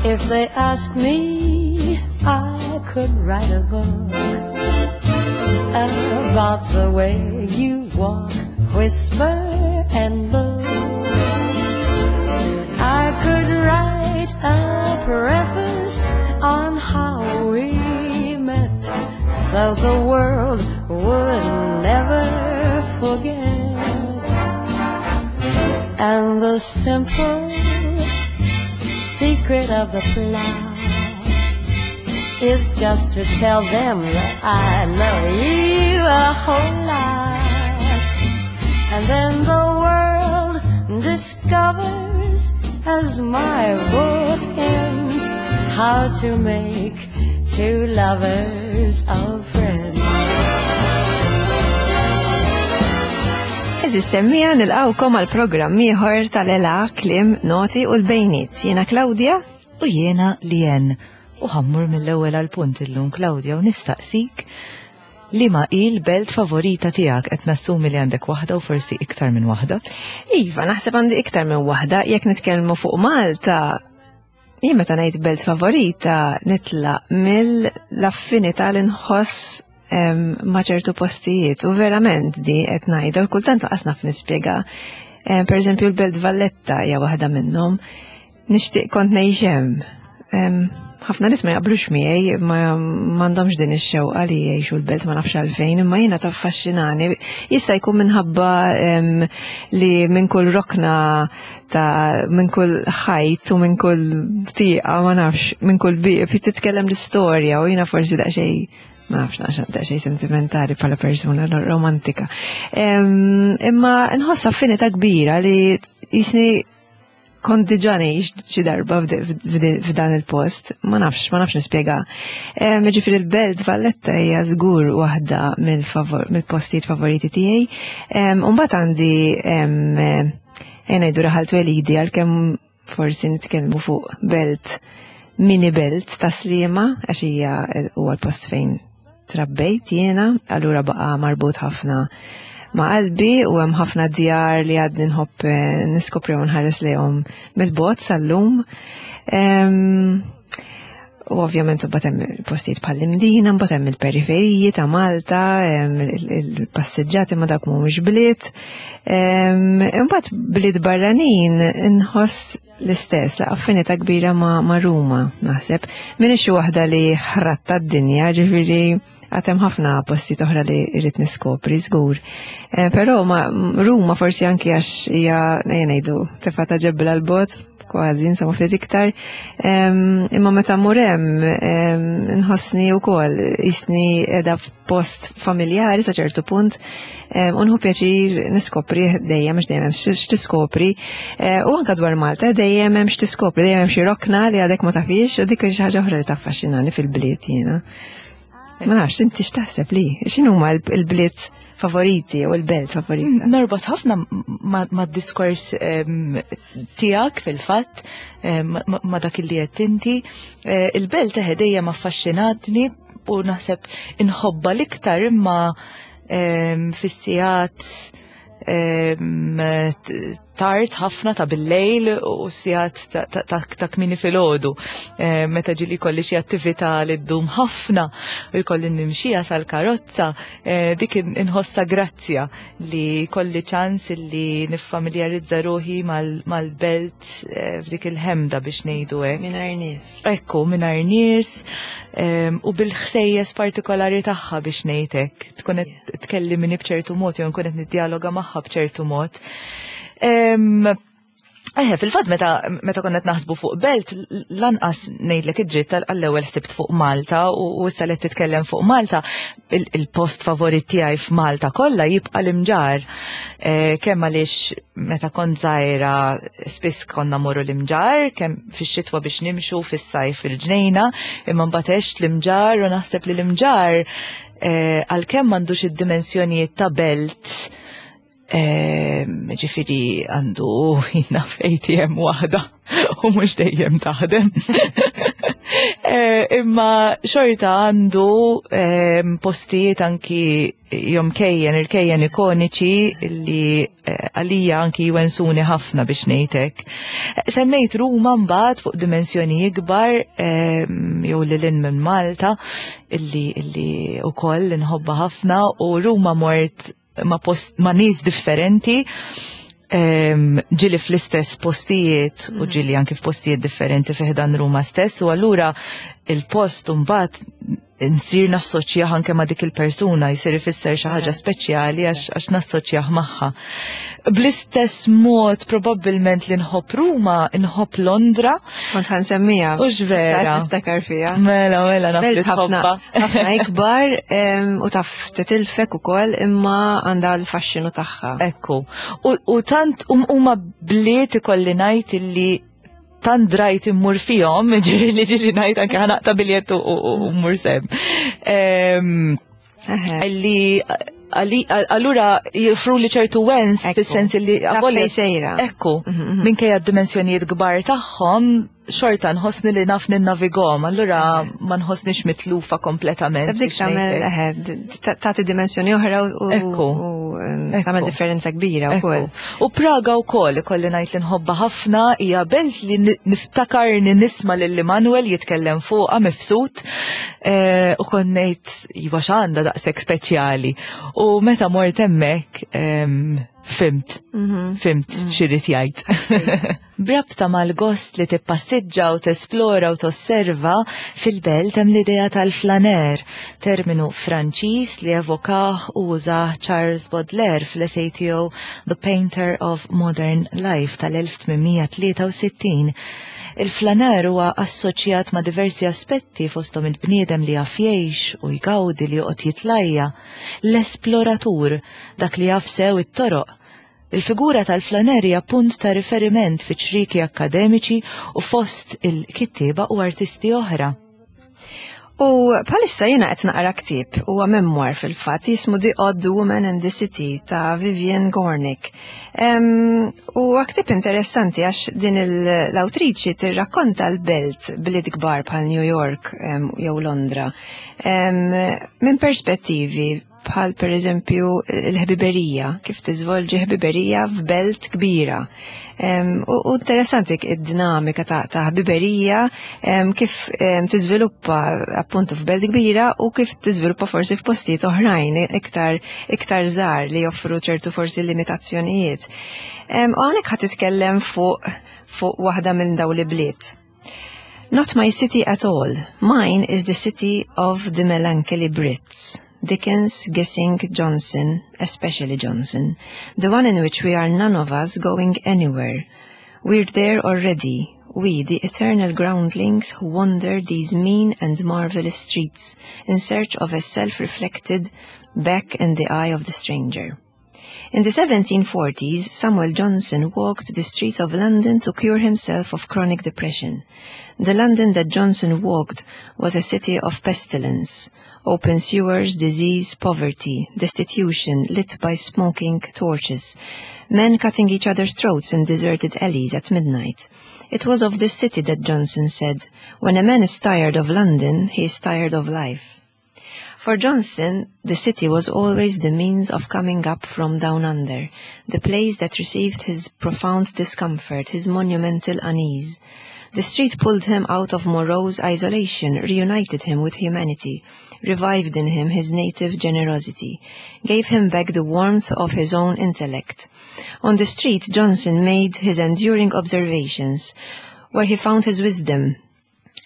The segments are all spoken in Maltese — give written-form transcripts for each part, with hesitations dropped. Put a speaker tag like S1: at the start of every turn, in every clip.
S1: If they ask me, I could write a book about the way you walk, whisper, and look. I could write a preface on how we met so the world would never forget. And the simple secret of the plot is just to tell them that I love you a whole lot. And then the world discovers as my book ends how to make two lovers of friends.
S2: Eżis semmija nilqawkom għal programm ieħor tal-ela klim noti u l-bejniet. Jiena Claudia
S3: u jiena Lien. U ħammur mill-ewwel għal punt illum Claudia u nistaqsik li ma il belt favorita tiegħek qed nassumi li għandek waħda u forsi iktar minn waħda.
S2: Iva, naħseb għandi iktar minn waħda jekk nitkellmu fuq Malta Jien meta ngħid belt favorita nitlaq mill-affinità li nħoss ma' ċertu postijiet u verament di qed ngħidha u kultant laqas naf nispjega. Per eżempju l-Belt Valletta hija waħda minnhom. Nixtieq kont ngħix hemm. Ħafna nies ma jaqblux miegħi, ma m'għandhomx din ix-xewqa li jgħixu l-belt ma nafx għalfejn, imma jiena taffaxxinani. Jista' jkun minħabba li minn kull rokna ta' minn kull ħajt u minn kull tieqa ma nafx, minn kull bieb titkellem l-istorja u jiena forsi daqsxejn ma nafx naqxa daqsxejn sentimentali bħala persuna romantika. Imma nħoss affinità kbira li jisni kont diġà ngħix xi darba f'dan il-post, ma nafx, ma nafx nispjega. Ġifieri l-Belt Valletta hija żgur waħda mill-postijiet favoriti tiegħi. U mbagħad għandi Ejja ngħidu raħal twelidi għalkemm forsi nitkellmu fuq belt mini belt ta' Sliema għax hija huwa l-post fejn trabbejt jiena, allura baqa' marbut ħafna ma' qalbi u hemm ħafna djar li għadni nħobb eh, niskopri u nħares lejhom mill-bogħod sal-lum. U ovvjament imbagħad hemm postijiet bħal Imdina, mbagħad hemm il-periferiji ta' Malta, il-passiġġati ma dak mhumiex bliet. Imbagħad bliet barranin inħoss l-istess, la affinità kbira ma' Ruma, naħseb. Min xi waħda li ħratta d-dinja, ġifieri għatem ħafna postijiet oħra li rrid niskopri, żgur. Eh, però ma Ruma forsi anki għax hija ngħidu tefa' ta' ġebla l-bot, kważi, insomma ftit iktar. Imma meta mmur hemm nħossni wkoll jisni qiegħda f'post familjari sa ċertu punt u nħu pjaċir niskopri dejjem għax dejjem hemm x'tiskopri. Eh, u anka dwar Malta dejjem hemm x'tiskopri, dejjem hemm xi rokna li għadek ma tafix u dik xi ħaġa oħra li taffaxxinani fil-bliet jiena. Ma nafx, inti x'taħseb li? X'inhuma l-bliet favoriti u l-belt favorita?
S3: Norbot ħafna ma' diskors tiegħek fil-fatt, ma' dak li qed inti. Eh, il-belt eħe dejjem affaxxinatni u naħseb inħobba l-iktar imma fis-sigħat tard ħafna ta' bil-lejl u sigħat ta' kmini filgħodu. Eh, meta ġili kolli xi attività li ddum ħafna u jkolli nimxija sal-karozza, eh, dik inħossa grazzja li kolli ċans li niffamiljarizza ruħi mal-belt eh, f'dik il-ħemda biex ngħidu hekk.
S2: Mingħajr nies.
S3: Ekku, mingħajr nies u bil-ħsejjes partikolari tagħha biex ngħid hekk. Tkun qed tkellimni b'ċertu mod jew nkun qed niddialoga magħha b'ċertu mod. Eħe, fil-fatt meta meta konna naħsbu fuq belt, lanqas ngħidlek id-dritt għall-ewwel ħsibt fuq Malta u issa li titkellem fuq Malta, il-post favorit tiegħi f'Malta kollha jibqa' l-Imġar. Eh, kemm għaliex meta kont żgħira spiss konna morru l-Imġar, kemm fix-xitwa biex nimxu fis-sajf fil-ġnejna, imma mbagħad għext l-Imġar u naħseb li l-Imġar eh, għalkemm m'għandux id-dimensjonijiet ta' belt Ġifiri għandu jina ATM waħda u mux dejjem taħdem. Imma xorta għandu postijiet anki jomkejjen, irkejjen ikoniċi li għalija anki jwensuni ħafna biex ngħidlek. Semmejt Ruma mbagħad fuq dimensjoni ikbar jew lil hinn minn Malta illi illi ukoll inħobbha ħafna u Ruma mort ma' post ma' nies differenti ġieli fl-istess postijiet u ġieli anki f'postijiet differenti fi ħdan Ruma stess u allura il-post mbagħad nsir nassoċjah anke ma' dik il-persuna, jsir ifisser xi ħaġa speċjali għax nassoċjah magħha. Bl-istess mod probabbilment li nħobb Ruma, nħobb Londra.
S2: Kont ħa nsemmija.
S3: U vera.
S2: Niftakar fija.
S3: Mela, mela, naf li
S2: tħobbha. Ħafna ikbar u taf titilfek ukoll imma għandha l-faxxinu tagħha.
S3: Ekku. U tant huma bliet ikolli ngħid illi tant drajt immur fihom, ġieli li ġieli ngħid anke ħa naqta' biljett u mmur s'hemm. Illi allura joffru li ċertu wens fis-sens li
S2: sejra.
S3: Ekku, minkejja d-dimensjonijiet kbar tagħhom, xorta nħossni li naf ninnavigahom, allura ma nħossnix mitlufa kompletament.
S2: Dik tagħmel tagħti dimensjoni oħra u tagħmel differenza kbira wkoll.
S3: U Praga wkoll ikolli ngħid li nħobbha ħafna, hija belt li niftakarni nisma' lil Immanuel jitkellem fuqha mifsud u kont ngħid iva x'għandha daqshekk speċjali. U meta mort hemmhekk fhimt, fhimt x'irid jgħid. B'rabta mal-gost li tippassiġġa u tesplora u tosserva fil-belt hemm l-idea tal-flaneur, terminu Franċiż li evokah u użah Charles Baudelaire fl-essay tiegħu The Painter of Modern Life tal-1863. Il-flaneur huwa assoċjat ma' diversi aspetti fosthom il-bniedem li jaf jgħix u jgawdi li joqgħod jitlajja, l-esploratur, dak li jaf sew it-toroq. Il-figura tal-flaneur hija punt ta' riferiment fi ċrieki akkademiċi u fost il-kittieba u artisti oħra.
S2: U bħalissa jiena qed naqra ktieb huwa memoir fil-fatt jismu The Odd Woman and the City ta' Vivian Gornick. U ktieb interessanti għax din l-awtriċi tirrakkonta l-belt bliet kbar bħal New York jew Londra minn perspettivi bħal per eżempju l-ħbiberija, kif tiżvolġi ħbiberija f'belt kbira. U interessanti id-dinamika ta' ħbiberija kif tiżviluppa appuntu f'belt kbira u kif tiżviluppa forsi f'postijiet oħrajn iktar iktar żgħar li joffru ċertu forsi limitazzjonijiet. U hawnhekk ħa titkellem fuq waħda minn dawn l-ibliet. Not my city at all. Mine is the city of the melancholy Brits. Dickens, Gissing, Johnson, especially Johnson, the one in which we are none of us going anywhere. We're there already, we, the eternal groundlings who wander these mean and marvelous streets in search of a self-reflected back in the eye of the stranger. In the 1740s, Samuel Johnson walked the streets of London to cure himself of chronic depression. The London that Johnson walked was a city of pestilence, open sewers, disease, poverty, destitution lit by smoking torches, men cutting each other's throats in deserted alleys at midnight. It was of this city that Johnson said, "When a man is tired of London, he is tired of life." For Johnson, the city was always the means of coming up from down under, the place that received his profound discomfort, his monumental unease. The street pulled him out of morose isolation, reunited him with humanity, revived in him his native generosity, gave him back the warmth of his own intellect. On the street, Johnson made his enduring observations, where he found his wisdom.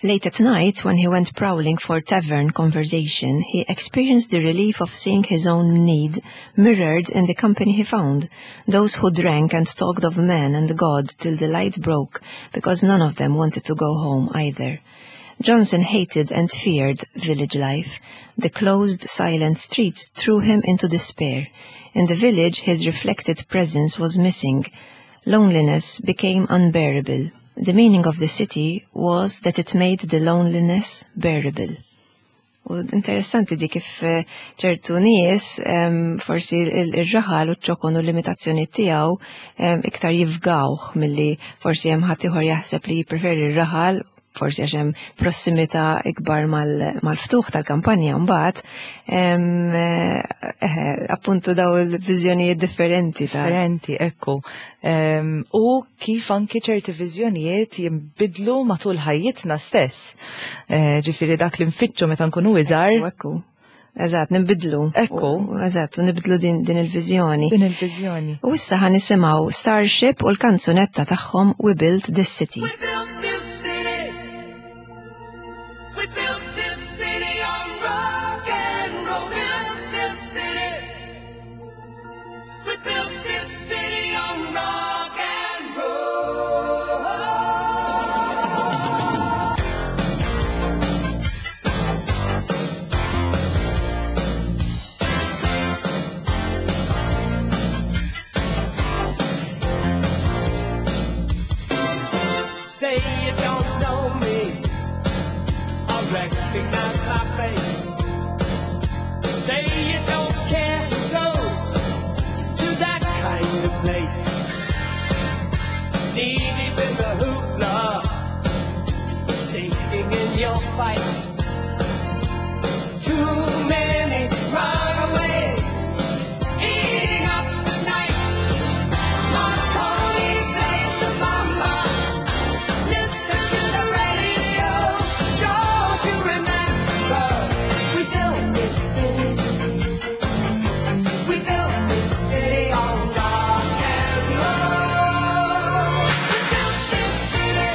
S2: Late at night, when he went prowling for tavern conversation, he experienced the relief of seeing his own need mirrored in the company he found, those who drank and talked of man and God till the light broke, because none of them wanted to go home either. Johnson hated and feared village life. The closed, silent streets threw him into despair. In the village, his reflected presence was missing. Loneliness became unbearable. The meaning of the city was that it made the loneliness bearable. U interessanti di kif ċertu nies forsi il-raħal u ċ-ċokon u l-limitazzjoni tiegħu iktar jifgawh milli forsi hemm ħadd ieħor jaħseb li jippreferi r-raħal. forsi għax hemm prossimità ikbar mal-ftuħ tal-kampanja mbagħad, appuntu daw il-viżjonijiet differenti
S3: ta' Differenti, ekku. U kif anki ċerti viżjonijiet jinbidlu matul ħajjitna stess. Ġifieri dak li nfittxu meta nkunu iżgħar.
S2: Ekku. Eżatt, nibidlu.
S3: Ekku.
S2: Eżatt, nibidlu din il-viżjoni.
S3: Din il-viżjoni.
S2: U issa ħa nisimgħu Starship u l-kanzunetta tagħhom We Built This City.
S1: We built this city. We built this city on rock and roll. Built this city. We built this city on rock and roll. Say you don't know me, I recognize my face. Say you don't care who goes to that kind of place. Knee deep in the hoopla, sinking in your fight. Too many runaways, eating up the night. Marconi plays the bamba. Listen to the radio. Don't you remember? We built this city. We built this city on rock and roll. We built this city.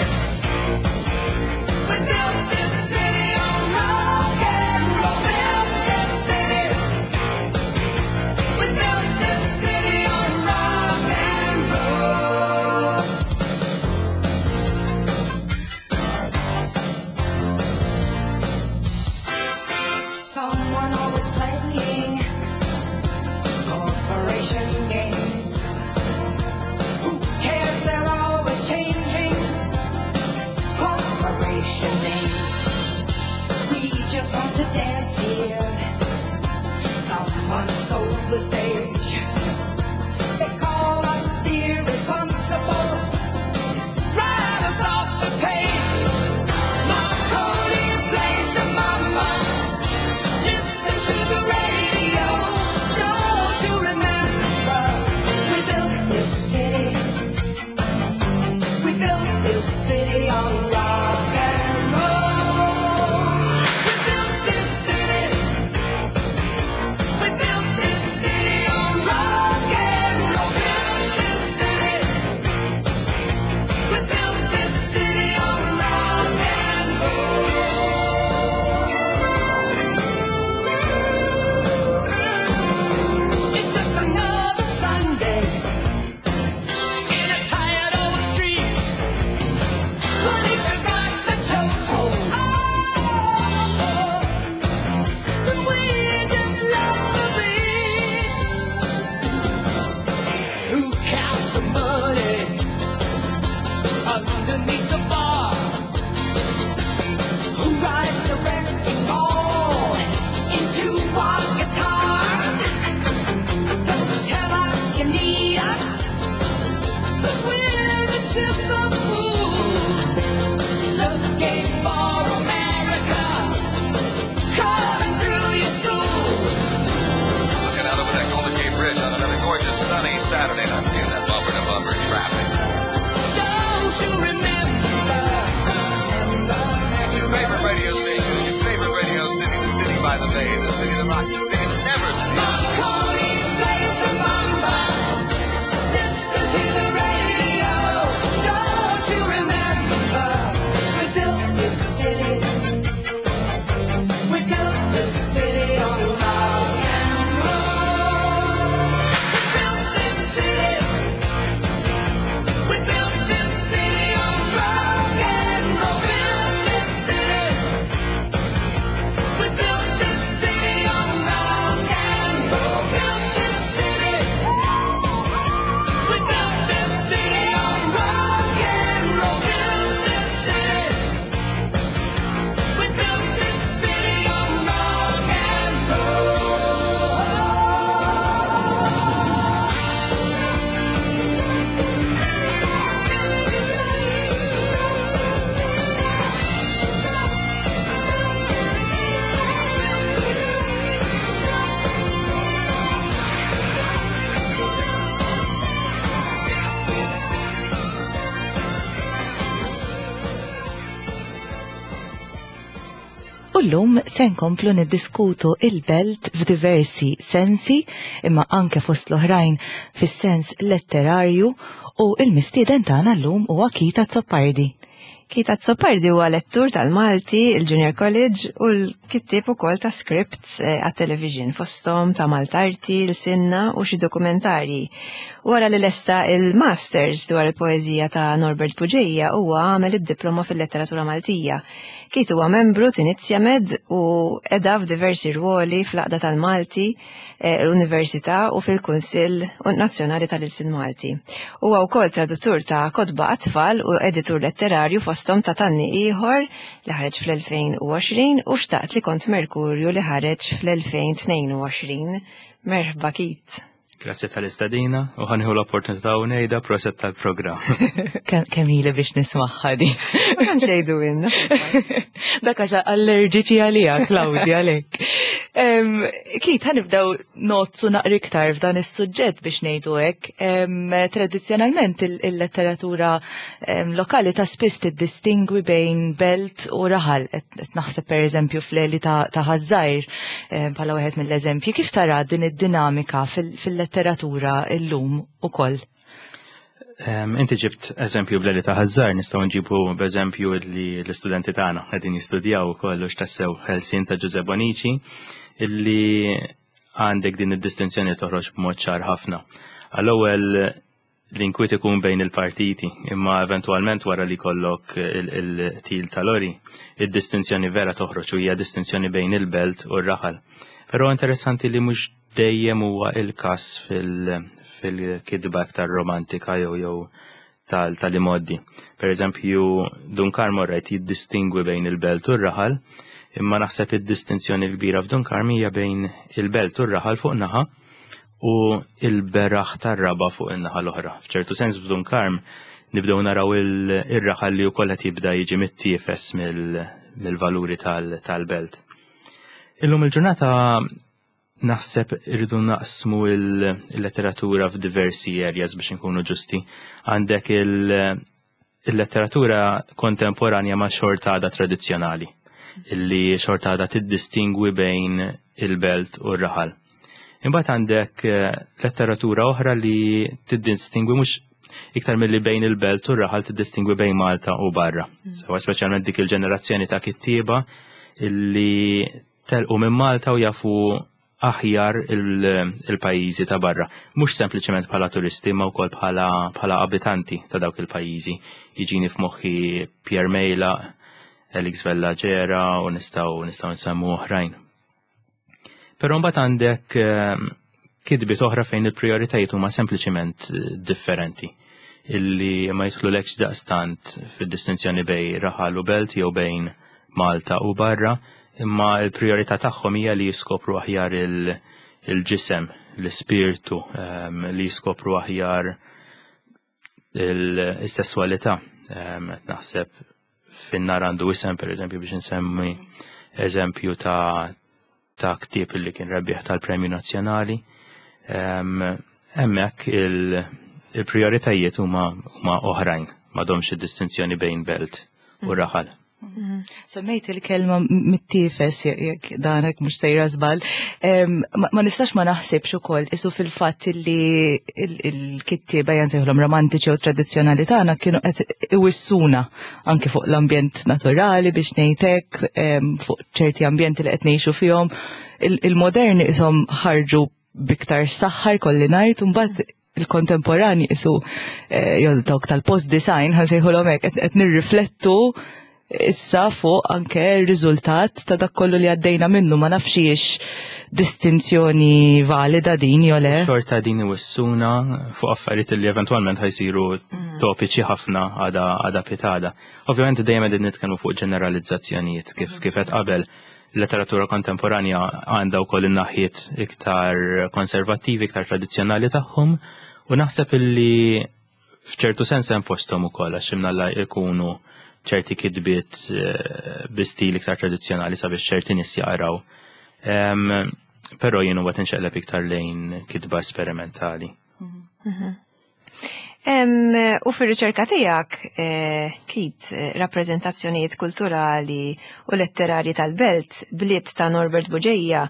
S1: We built this city on rock and roll. Built this city. We built this city on rock and roll. Someone always playing corporation games. Who cares? They're always changing corporation names. We just want to dance here. Someone stole the stage. They call us irresponsible. Write us off the page. Marconi plays the mama. Listen to the radio. Don't you remember? We built this city. We built this city on rock and roll. We built this city. We built this city on rock and roll. Built this city. We built this city on rock and roll. It's just another Sunday in a tired old street. Police have got the chokehold. Oh, but we just lost the beat. Who counts the money underneath the bar? Who rides the wrecking ball into our guitars? Don't tell us you need us, but we're the simple fools looking for America coming through your schools.
S4: Looking out over that Golden Gate Bridge on another gorgeous sunny Saturday, and I'm seeing that bumper to bumper traffic.
S1: Don't you remember?
S4: It's your favorite radio station, your favorite radio city, the city by the bay, the city that rocks, the city that never sleeps.
S1: Marconi plays the mamba. Listen to the radio. Don't you remember? We built this city. We built this city on rock and roll. We built this city. We built this city on rock and roll. Built this city. We built this city on rock and roll. Built
S3: U llum se nkomplu niddiskutu il-belt f'diversi sensi, imma anke fost l-oħrajn fis-sens letterarju u il-mistieden tagħna llum huwa Keith Azzopardi.
S2: Keith Azzopardi huwa lettur tal-Malti, il-Junior College u l-kittieb ukoll ta' scripts eh, għat-television fosthom ta' Maltarti, l-Sinna u xi dokumentarji. Wara li lesta il-Masters dwar il-poeżija ta' Norbert Bugeja huwa għamel id-diploma fil-letteratura Maltija. Keith huwa membru t'Inizja Med u qeda f'diversi rwoli fl-Għaqda tal-Malti, eh, l-Università u fil-Kunsill Nazzjonali tal-Ilsien Malti. Huwa wkoll traduttur ta' kotba għat-tfal u editur letterarju fosthom ta' Tanni Ieħor li ħareġ fl-2020 u Xtaqt li kont Merkurju li ħareġ fl-2022. Merħba Keith.
S5: Grazzi tal-istadina u ħanħu l-opportunità u ngħidha proset tal-programm.
S3: Kemm ili biex nismagħha di.
S2: Ma tantx jgħidu inna.
S3: Dak għax allerġiċi għalija, Claudia, għalhekk. Keith, ħanibdew nozzu naqra iktar f'dan is-suġġett biex ngħidu hekk. Tradizzjonalment il-letteratura lokali ta' spiss tiddistingwi bejn belt u raħal. Qed naħseb pereżempju fl-Għeli ta' Ħaż-Żgħir bħala wieħed mill-eżempji. Kif tara din id-dinamika fil-letteratura llum ukoll?
S5: Inti ġibt eżempju bl-Għeli ta' Ħaż-Żgħir, nistgħu nġibu b'eżempju li l-istudenti tagħna qegħdin jistudjaw ukoll u x'tassew Ħelsien ta' Ġużè Bonici illi għandek din id-distinzjoni toħroġ b'mod ċar ħafna. Għall-ewwel l-inkwiet ikun bejn il-partiti, imma eventwalment wara li jkollok il-qtil ta' Lori, id-distinzjoni vera toħroġ u hija distinzjoni bejn il-belt u r-raħal. Però interessanti li mhux dejjem huwa il-każ fil-kitba aktar romantika jew jew tal-imoddi. Per eżempju, Dun Karm rajt jiddistingwi bejn il-belt u r-raħal, imma naħseb id-distinzjoni l-kbira f'Dun Karm hija bejn il-belt u r-raħal fuq naħa u il-beraħ tar-raba fuq in-naħa l-oħra. F'ċertu sens f'Dun Karm nibdew naraw il-raħal li wkoll qed jibda jiġi mittiefes mill-valuri tal-belt. Illum il-ġurnata naħseb irridu naqsmu il-letteratura f'diversi areas biex nkunu ġusti. Għandek il-letteratura kontemporanja ma' xorta għadha tradizzjonali, illi xorta għadha tiddistingwi bejn il-belt u r-raħal. Imbagħad għandek letteratura oħra li tiddistingwi mhux iktar milli bejn il-belt u r-raħal tiddistingwi bejn Malta u barra. Sewa speċjalment dik il-ġenerazzjoni ta' kittieba illi telqu minn Malta u jafu aħjar il-pajjiżi ta' barra. Mhux sempliċement bħala turisti ma wkoll bħala abitanti ta' dawk il-pajjiżi. Jiġini f'moħħi Pierre Mejlaq, Alex Vella Ġera u nistgħu nistgħu nsemmu oħrajn. Però mbagħad għandek kitbiet oħra fejn il-prijoritajiet huma sempliċement differenti illi ma jidħlulekx daqstant fid-distinzjoni bejn raħal u belt jew bejn Malta u barra, imma l-prijorità tagħhom hija li jiskopru aħjar il-ġisem, l-ispirtu, li jiskopru aħjar il-sesswalità. Naħseb fin-nar għandu isem, per eżempju, biex nsemmi eżempju ta' ta' ktieb li kien rebbieħ tal-Premju Nazzjonali. Hemmhekk il-prijoritajiet huma oħrajn, m'għadhomx id-distinzjoni bejn belt u raħal.
S3: Semmejt il-kelma mittifes jekk danek mhux sejra żball. Ma nistax ma naħsibx ukoll isu fil-fatt li l-kittieba jansejħulhom romantiċi u tradizzjonali tagħna kienu qed iwissuna anke fuq l-ambjent naturali biex ngħidlek fuq ċerti ambjenti li qed ngħixu fihom. Il-moderni ishom ħarġu biktar saħħa jkolli ngħid, u mbagħad il-kontemporani isu eh, jew dawk tal-post design ħansejħulhom hekk qed nirriflettu issa fuq anke r-riżultat ta' dak kollu li għaddejna minnu ma nafx distinzjoni valida din jew le.
S5: Xorta din iwissuna fuq affarijiet li eventwalment ħajsiru mm. topiċi ħafna għada għada pitada. Ovvjament dejjem qegħdin nitkellmu fuq ġeneralizzazzjonijiet kif kif qed qabel letteratura kontemporanja għandha wkoll in-naħiet iktar konservattivi, iktar tradizzjonali tagħhom u naħseb illi f'ċertu sens hemm posthom ukoll għax imnalla jkunu ċerti kitbiet eh, bi stil iktar tradizzjonali sabiex ċerti nies jaqraw. Però jien huwa tinxeqleb iktar lejn kitba esperimentali.
S2: Mhm. U fir-riċerka tiegħek, eh, Kit, eh, rappreżentazzjonijiet kulturali u letterarji tal-belt, bliet ta' Norbert Buġeja,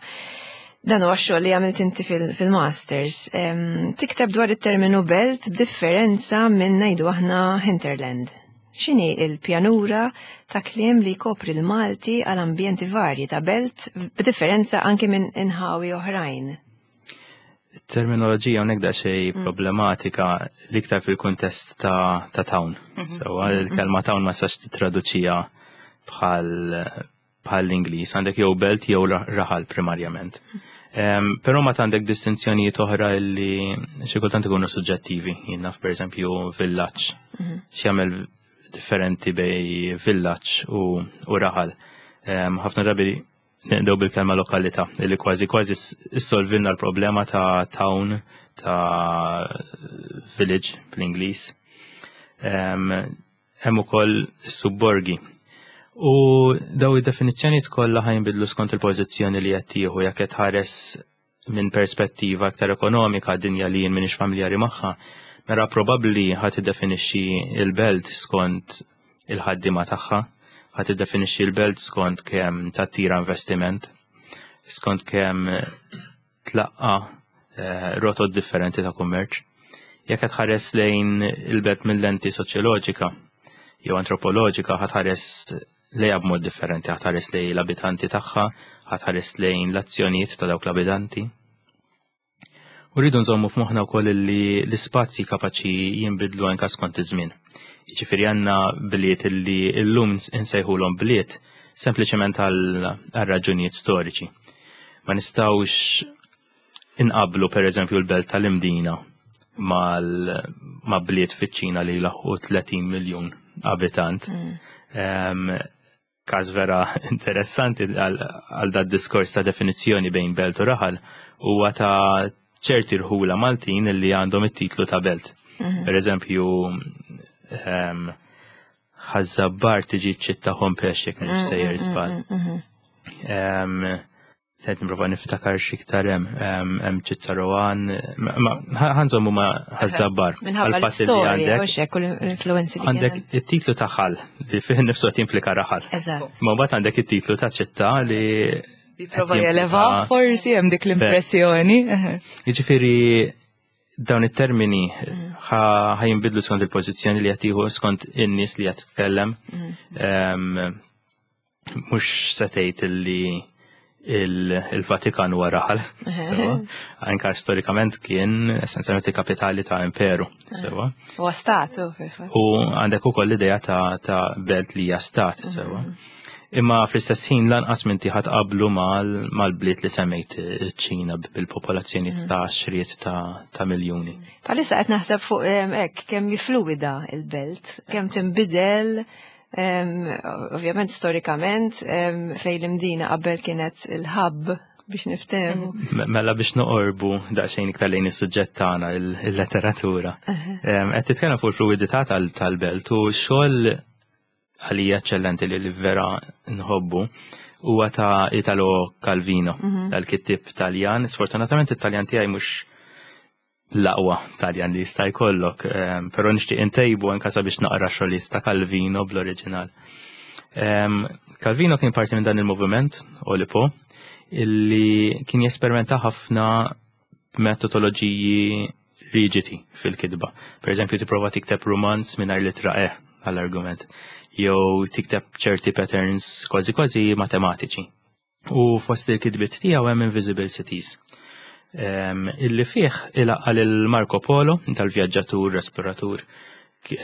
S2: dan huwa xogħol li għamilt inti fil-masters. Tikteb dwar it-terminu belt b'differenza minn ngħidu aħna hinterland. X'inhi il-pjanura ta' kliem li jkopri l-Malti għal ambjenti varji ta' belt b'differenza anki minn inħawi oħrajn?
S5: Terminoloġija hawnhekk daqsxejn problematika l-iktar fil-kuntest ta', ta town. Sewwa il-kelma town ma sax titraduċija bħal bħal l-Ingliż, għandek jew belt jew raħal primarjament. Um, Però ma għandek distinzjonijiet oħra li xi kultant ikunu suġġettivi. Jien naf pereżempju villaġġ. X'jagħmel differenti bej villaġġ u, u raħal. Ħafna drabi Nibdew bil-kelma lokalità, li kważi kważi issolvilna l-problema ta' town, ta' village bl-Ingliż. Hemm ukoll is-subborgi. U daw id-definizzjonijiet kollha ħajnbidlu skont il-pożizzjoni li qed tieħu jekk qed tħares minn perspettiva aktar ekonomika dinja li jien m'iniex familjari magħha, mela probabbli ħa tiddefinixxi l-belt skont il-ħaddiema tagħha, ħa tiddefinixxi l-belt skont kemm tattira investiment, skont kemm tlaqqa eh, rotot differenti ta' kummerċ. Jekk qed tħares lejn il-belt mill-lenti soċjoloġika jew antropoloġika ħa tħares lejha b'mod differenti, ħa tħares lejn l-abitanti tagħha, ħa tħares lejn l-azzjonijiet ta' dawk l-abitanti. U rridu nżommu f'moħħna wkoll li l-ispazji kapaċi jinbidlu anke skont iż-żmien. Jiġifieri għandna bliet li llum insejħulhom bliet sempliċement għal raġunijiet storiċi. Ma nistgħux inqablu per eżempju l-belt tal-Imdina ma' bliet fiċ-Ċina li laħqu 30 miljun abitant. Mm. Każ vera interessanti għal dat diskors ta' definizzjoni bejn belt u raħal huwa ta' ċerti rħula Maltin li għandhom it-titlu ta' belt. Mm-hmm. Per eżempju, Ħaż-Żabbar tiġi ċitta Hompex jekk mhux sejjer mm, mm, żball. Mm, Qed nipprova niftakar x'iktar hemm hemm ċitta Rowan, ħanżommu ma' Ħaż-Żabbar.
S2: Minħabba l-istorja għandek. l-influenzi
S5: li Għandek it-titlu ta' ħal li fih nifsu qed jimplika raħal.
S2: Eżatt.
S5: Ma mbagħad għandek it-titlu ta' ċitta li
S3: Jipprova jeleva forsi hemm dik l-impressjoni.
S5: Jiġifieri dawn it-termini ħa jinbidlu skont il-pożizzjoni li qed tieħu skont in-nies li qed titkellem. Mm. Mhux se tgħid li il-Vatikan huwa raħal. Sewa. Anka storikament kien essenzjalment il-kapitali ta' imperu. Sewa.
S2: Huwa stat.
S5: U għandek ukoll l-idea ta' belt li hija stat, sewa. Mm. Imma fl-istess ħin lanqas minn tiħat qablu mal-bliet li semmejt ċ-Ċina bil-popolazzjoni mm. ta' xriet ta' miljuni.
S2: Palissa qed naħseb fuq hekk kemm fluida il-belt, kemm tinbidel ovvjament storikament fejn l-imdina qabel kienet il-hub biex niftehmu.
S5: Mela biex noqorbu daqsxejn iktar lejn is-suġġett tagħna il-letteratura. Qed titkellem fuq il-fluidità tal-belt u xogħol għalija eċċellenti li vera nħobbu huwa ta' Italo Calvino, mhm. dal-kittib Taljan. Sfortunatament it-Taljan tiegħi mhux l-aqwa Taljan li jista' jkollok, ehm, però nixtieq intejbu anke sabiex naqra xogħlijiet ta' Calvino bl-oriġinal. Ehm, Calvino kien parti minn dan il-moviment, Olipo, illi kien jesperimenta ħafna b'metodoloġiji riġidi fil-kitba. Per eżempju, tipprova tikteb rumanz mingħajr litra E għall-argument, jew tikteb ċerti patterns kważi kważi matematiċi. U fost il-kitbiet tiegħu hemm Invisible Cities. Um, illi fih ilaqqa lil Marco Polo, tal-vjaġġatur, esploratur,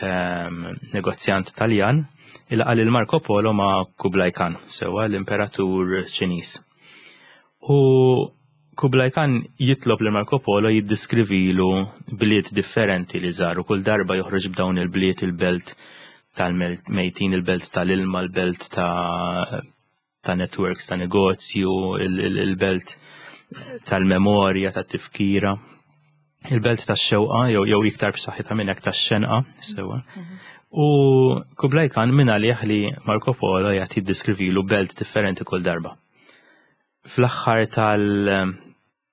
S5: um, negozjant Taljan, ilaqqa lil Marco Polo ma' Kublai Khan, sewa l-imperatur Ċiniż. U Kublai Khan jitlob lil Marco Polo jiddiskrivilu bliet differenti li żaru. Kull darba joħroġ b'dawn il-bliet il-belt tal-mejtin, il-belt tal-ilma, il-belt ta' ta' networks ta' negozju, il-belt tal-memorja, tat-tifkira, il-belt tax-xewqa jew jew iktar b'saħħitha minn hekk tax-xenqa, sewwa. Mhm. U Kublai Khan minn għalih li Marco Polo jagħti jiddiskrivilu belt differenti kull darba. Fl-aħħar tal-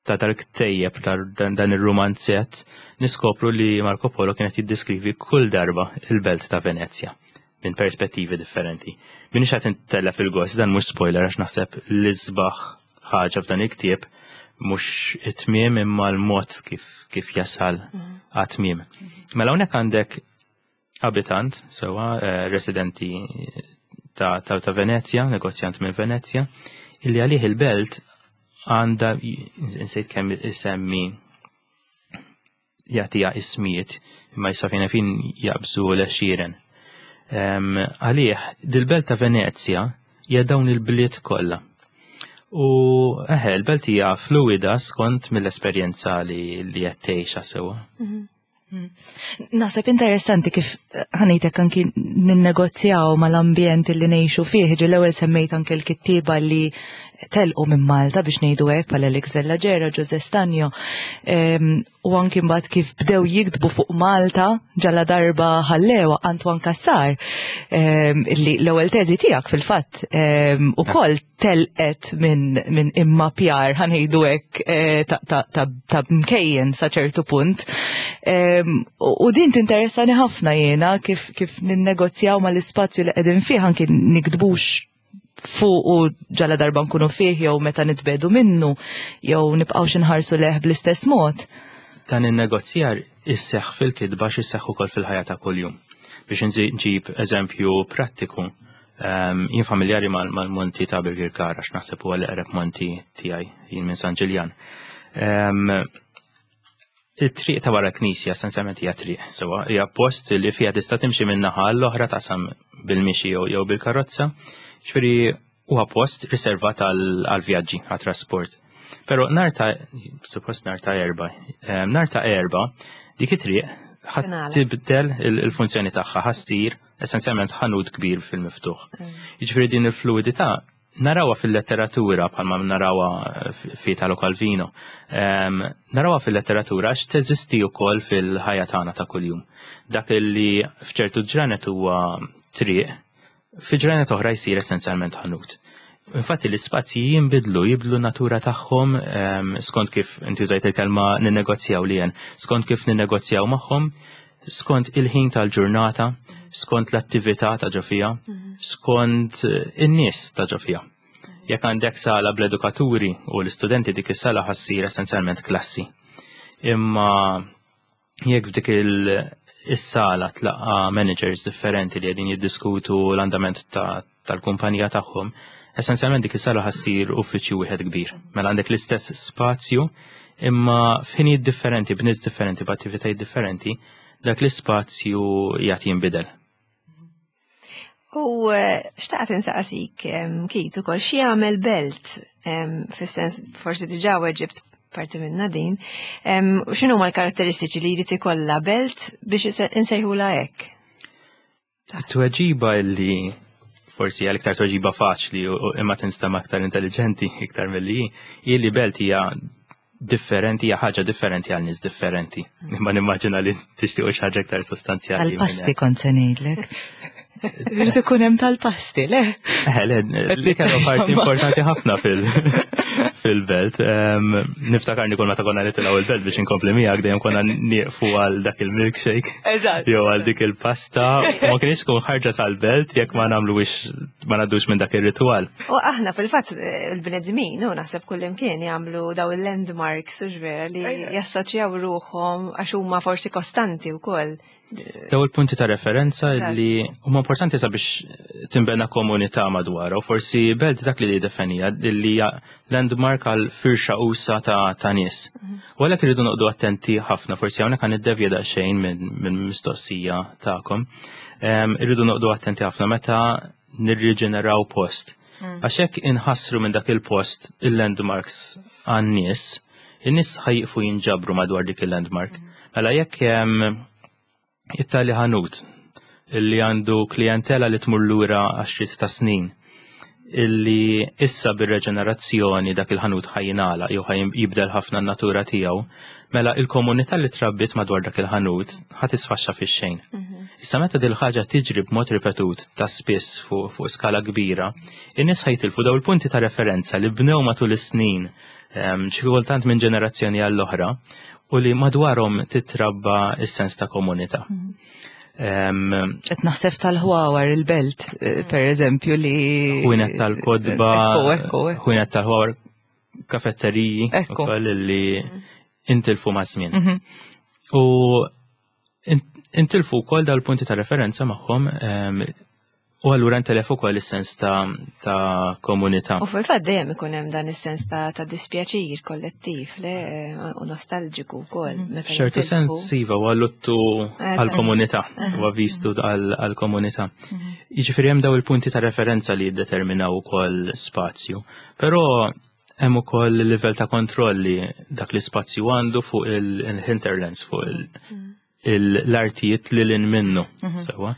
S5: ta' dal-ktejjeb dan ir-rumanzett niskopru li Marco Polo kienet jiddeskrivi kull darba il-belt ta' Venezja minn perspettivi differenti. Minix qed intellef il-gost, dan mhux spoiler għax naħseb l-isbaħ ħaġa f'dan il-ktieb mhux it-tmiem imma l-mod kif, kif jasal mhm. għat-tmiem. Mela hawnhekk għandek abitant, sewa eh, residenti ta', ta, ta Venezja, negozjant minn Venezja, illi għalih il-belt għanda, insejt kemm isemmi jagħtiha ismijiet, imma jista' fejn fin jaqbżu l-għexieren. Għalih, dil-belt ta' Venezja hija dawn il-bliet kollha. U eħe, l-belt hija fluida skont mill-esperjenza li qed tgħixha sewwa. Mhm.
S3: Naħseb interessanti kif eh, ħanejtek anki ninnegozjaw mal-ambjent li ngħixu fih, ġi l-ewwel semmejt anke l-kittieba li telqu minn Malta biex ngħidu hekk bħal Alex Vellagera, Jose Stanjo, u anki mbagħad kif bdew jiktbu fuq Malta ġalla darba ħallewa Antoine Cassar, li l-ewwel teżi tiegħek fil-fatt ukoll telqet minn min imma pjar ħanejdu hekk eh, ta' mkejjen sa ċertu punt. U din tinteressani ħafna jiena kif kif ninnegozjaw mal-ispazju li qegħdin fih anki nikdbux fuq u ġala darba nkunu fih jew meta nitbedu minnu jew nibqgħux inħarsu leħ bl-istess mod.
S5: Dan in-negozjar isseħħ fil-kitba x'isseħħ ukoll fil-ħajja ta' kuljum. Biex nġib eżempju prattiku, Jien familjari mal-monti ta' Birkirkara għax naħseb huwa l-eqreb monti tiegħi jien minn San Ġiljan. It-triq ta' wara knisja essenzjalment hija triq, sewa hija post li fiha tista' timxi minn naħa l-oħra taqsam bil-mixi jew bil-karozza. Ġifieri huwa post riservat għal vjaġġi, għal trasport. Però nar ta' suppost nar ta' erba, nar ta' erba dik it-triq ħadd tibdel il-funzjoni tagħha, ħassir essenzjalment ħanut kbir fil-miftuħ. Mm. Jiġifieri din il-fluidità narawha fil-letteratura bħalma narawha fi Italo Calvino. Um, narawha fil-letteratura għax teżisti wkoll fil-ħajja tagħna ta' kuljum. Dak li f'ċertu ġranet huwa triq, fi ġranet oħra jsir essenzjalment ħanut. Infatti l-ispazji jinbidlu, jibdlu natura tagħhom ehm, skont kif inti użajt il-kelma ninnegozjaw li skont kif ninnegozjaw magħhom, skont il-ħin tal-ġurnata, skont l-attività ta' ġo fiha, mhm. skont eh, in-nies ta' ġo fiha. Jekk għandek sala bl-edukaturi u l-istudenti dik is-sala ħassir essenzjalment klassi. Imma jekk f'dik is-sala tlaqa managers differenti li qegħdin jiddiskutu l-andament tal-kumpanija tagħhom, essenzjalment dik is-sala ħassir uffiċċju wieħed kbir. Mela għandek l-istess spazju imma f'ħinijiet differenti, b'nies differenti, b'attivitajiet differenti, dak l-ispazju jagħti jinbidel.
S2: U eh, xtaqt insaqsik, Kit, ukoll xi jagħmel belt, fis-sens forsi diġà weġibt parti minna din, u x'inhuma l-karatteristiċi li jrid ikollha belt biex insejħulha hekk?
S5: Tweġiba li forsi għal iktar tweġiba faċli u imma tinstema aktar intelligenti iktar milli hi li belt hija differenti, hija ħaġa differenti għal nies differenti. Imma nimmaġina li tixtiequ xi ħaġa iktar sostanzjali.
S3: Tal-pasti kont se ngħidlek. Irid ikun hemm tal-pasti, le?
S5: Eh, le, li kienu parti importanti ħafna fil- fil-belt. Niftakar kull meta konna nitilgħu il-belt biex inkompli miegħek dejjem konna nieqfu għal dak il-milkshake.
S3: Eżatt.
S5: Jew għal dik il-pasta. Ma kienx tkun ħarġa sal-belt jekk ma nagħmluwix ma ngħaddux minn dak ir-ritwal.
S2: U aħna fil-fatt il-bnedmin u naħseb kullimkien jagħmlu daw il-landmarks u vera li jassoċjaw ruħhom għax huma forsi kostanti wkoll.
S5: Daw il-punti ta' referenza li huma importanti sabiex tinbena komunità madwar u forsi belt dak li definija li hija landmark għal firxa usa ta', ta nies. Mhm. U għalhekk irridu noqdu attenti ħafna, forsi hawnhekk għan niddevja daqsxejn minn mistoqsija tagħkom. Irridu noqdu attenti ħafna meta nirriġeneraw post. Mm. Għax hekk inħassru minn dak il-post il-landmarks għan-nies, in-nies ħajqfu jinġabru madwar dik il-landmark. Mm. Mela jekk it-tali ħanut illi għandu klijentela li tmur lura għaxriet ta' snin, illi issa bir-reġenerazzjoni dak il-ħanut ħajinala jew jibdel ħafna n-natura tiegħu, mela il-komunità li trabbiet madwar dak il-ħanut ħa tisfaxxa fix-xejn. Mhm. Issa meta dil ħaġa tiġri b'mod ripetut ta' spiss fuq fu skala kbira, in-nies ħajtilfu daw il-punti ta' referenza li bnew matul is-snin. Xi kultant minn ġenerazzjoni għall-oħra u li madwarhom titrabba s-sens ta' komunità.
S3: Qed naħseb tal-ħwawar il-belt, eh, per eżempju, li.
S5: Ħwienet tal-kodba, ħwienet tal-ħwawar, kafetteriji, ukoll li intilfu ma' żmien. Mhm. U intilfu wkoll dal-punti ta' referenza magħhom u allura intelef ukoll is-sens ta', ta komunità.
S2: U fil-fatt dejjem ikun hemm dan is-sens ta', ta dispjaċir kollettiv le u nostalġiku wkoll.
S5: Mhm. F'ċertu sens iva huwa luttu għall-komunità, huwa vistu għall-komunità. Mhm. Jiġifieri hemm daw il-punti ta' referenza li jiddeterminaw ukoll spazju. Però hemm ukoll il-livell ta' kontroll li dak l-ispazju għandu fuq il-hinterlands, fuq mm. l-artijiet li lin minnu. Mhm. Sewa.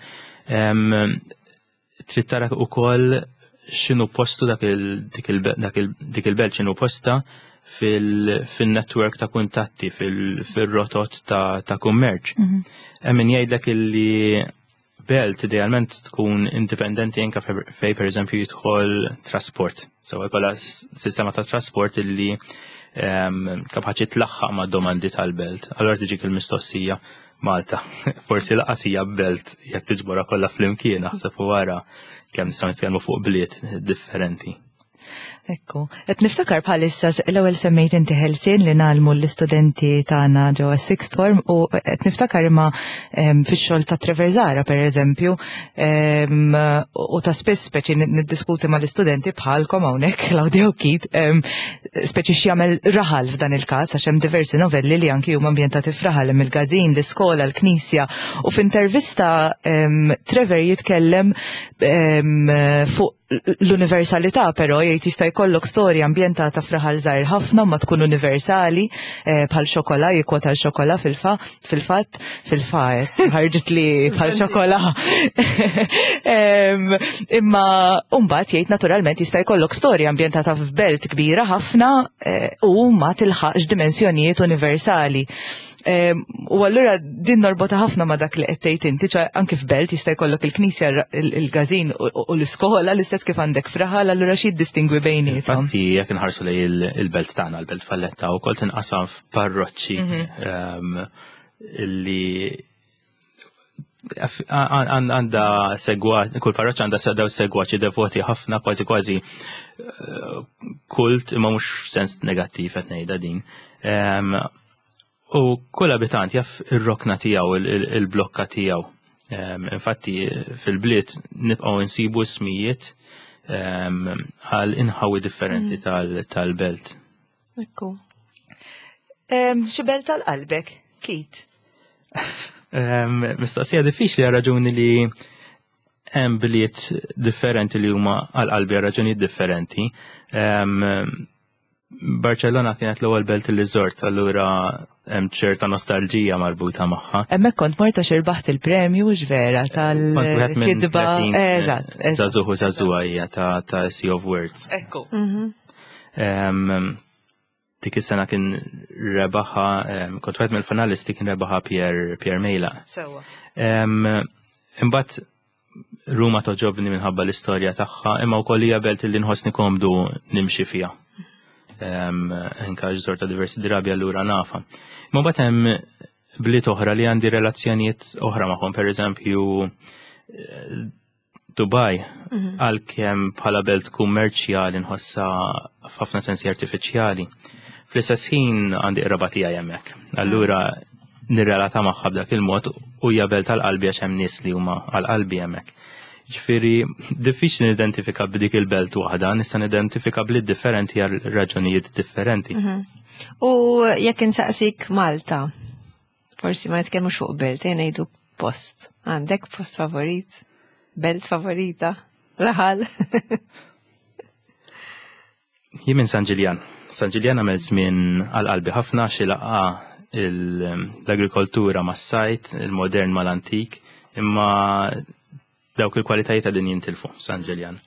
S5: Trid tara ukoll x'inhu postu dak dik il-belt x'inhu posta fil-network ta' kuntatti, fil-rotot ta' kummerċ. Mhm. Hemm min jgħidlek illi Belt idealment tkun indipendenti anke fej pereżempju jidħol trasport. Sewa jkollha sistema ta' trasport illi ehm, kapaċi tlaħħaq ma' domandi tal-belt. Allora tiġik il-mistoqsija Malta. Forsi laqas hija belt jekk tiġborha kollha flimkien naħseb u wara kemm nistgħu nitkellmu fuq bliet differenti.
S3: Ekku, qed niftakar bħalissa l-ewwel semmejt inti ħelsien li nagħlmu l-istudenti tagħna ġewwa sixth form u qed niftakar imma fix-xogħol ta' Trevor Zara pereżempju u ta' spiss speċi niddiskuti mal-istudenti bħalkom hawnhekk Claudia u Keith speċi x'jagħmel raħal f'dan il-każ għax hemm diversi novelli li anki huma ambjentati f'raħal hemm il-każin, l-iskola, l-knisja u f'intervista Trevor jitkellem fuq l-universalità però jgħid jista' jkollok storja ambjentata f'raħal żgħir ħafna ma tkun universali eh, bħal xokola jikkwota l-xokola fil-fa fil-fatt fil-fa eh, ħarġet li bħal xokola. Imma mbagħad jgħid naturalment jista' jkollok storja ambjentata f'belt kbira ħafna eh, u ma tilħaqx dimensjonijiet universali. U allura din norbota ħafna ma dak li qed tgħid inti, ċa anki f'belt jista' jkollok il-knisja, il-każin u l-iskola l-istess kif għandek fraħal, allura xi jiddistingwi bejniethom.
S5: Infatti jekk inħarsu lej il-belt tagħna, il-belt Valletta wkoll tinqasam f'parroċċi mhm. li għanda segwa, kull parroċċa għanda daw segwaċi devoti ħafna kważi kważi eh, kult imma mhux sens negattiv qed ngħidha din. U kull abitant jaf ir-rokna tiegħu, il-blokka tiegħu. Infatti fil-bliet nibqgħu nsibu ismijiet għal inħawi differenti mm. tal-belt.
S2: Ekku.
S3: Xi belt tal-qalbek, Kit?
S5: Mistoqsija diffiċli għal raġuni li hemm bliet differenti li huma għal qalbi għal raġunijiet differenti. Barcellona kienet l-ewwel belt li żort, allura hemm ċerta nostalġija marbuta magħha.
S3: Hemmhekk kont mort għax irbaħt il-premju vera tal-kitba.
S5: Eżatt. Żagħżugħ u żagħżugħa hija ta' Sea of Words.
S3: Ekku.
S5: Mhm. Dik is-sena kien rebaħa, kont wieħed mill-finalisti kien rebaħa Pierre Pierre Mejla.
S3: Sewwa.
S5: Imbagħad Ruma toġobni minħabba l-istorja tagħha, imma wkoll hija belt li nħossni komdu nimxi fiha. Anka żorta diversi drabi allura nafa. Imma mbagħad hemm bliet oħra li għandi relazzjonijiet oħra magħhom, pereżempju eh, Dubai, mhm. għalkemm bħala belt kummerċjali nħossha f'ħafna sensi artifiċjali. Fl-istess ħin għandi qraba tiegħi hemmhekk. Allura nirrelata magħha b'dak il-mod u hija belt għal qalbi għax hemm nies li huma għal qalbi hemmhekk. Ġifieri diffiċli nidentifika b'dik il-belt waħda, nista' nidentifika bliet differenti għal raġunijiet differenti.
S2: Mhm. U jekk insaqsik Malta, forsi ma nitkellmux fuq belt, jien ngħidu post. Għandek post favorit? Belt favorita? Raħal?
S5: Jien minn San Ġiljan. San Ġiljan għamel żmien għal qalbi ħafna xi laqgħa l-agrikoltura mas-sajt, il-modern mal-antik, imma dawk il-kwalitajiet għadin jintilfu San Ġiljan.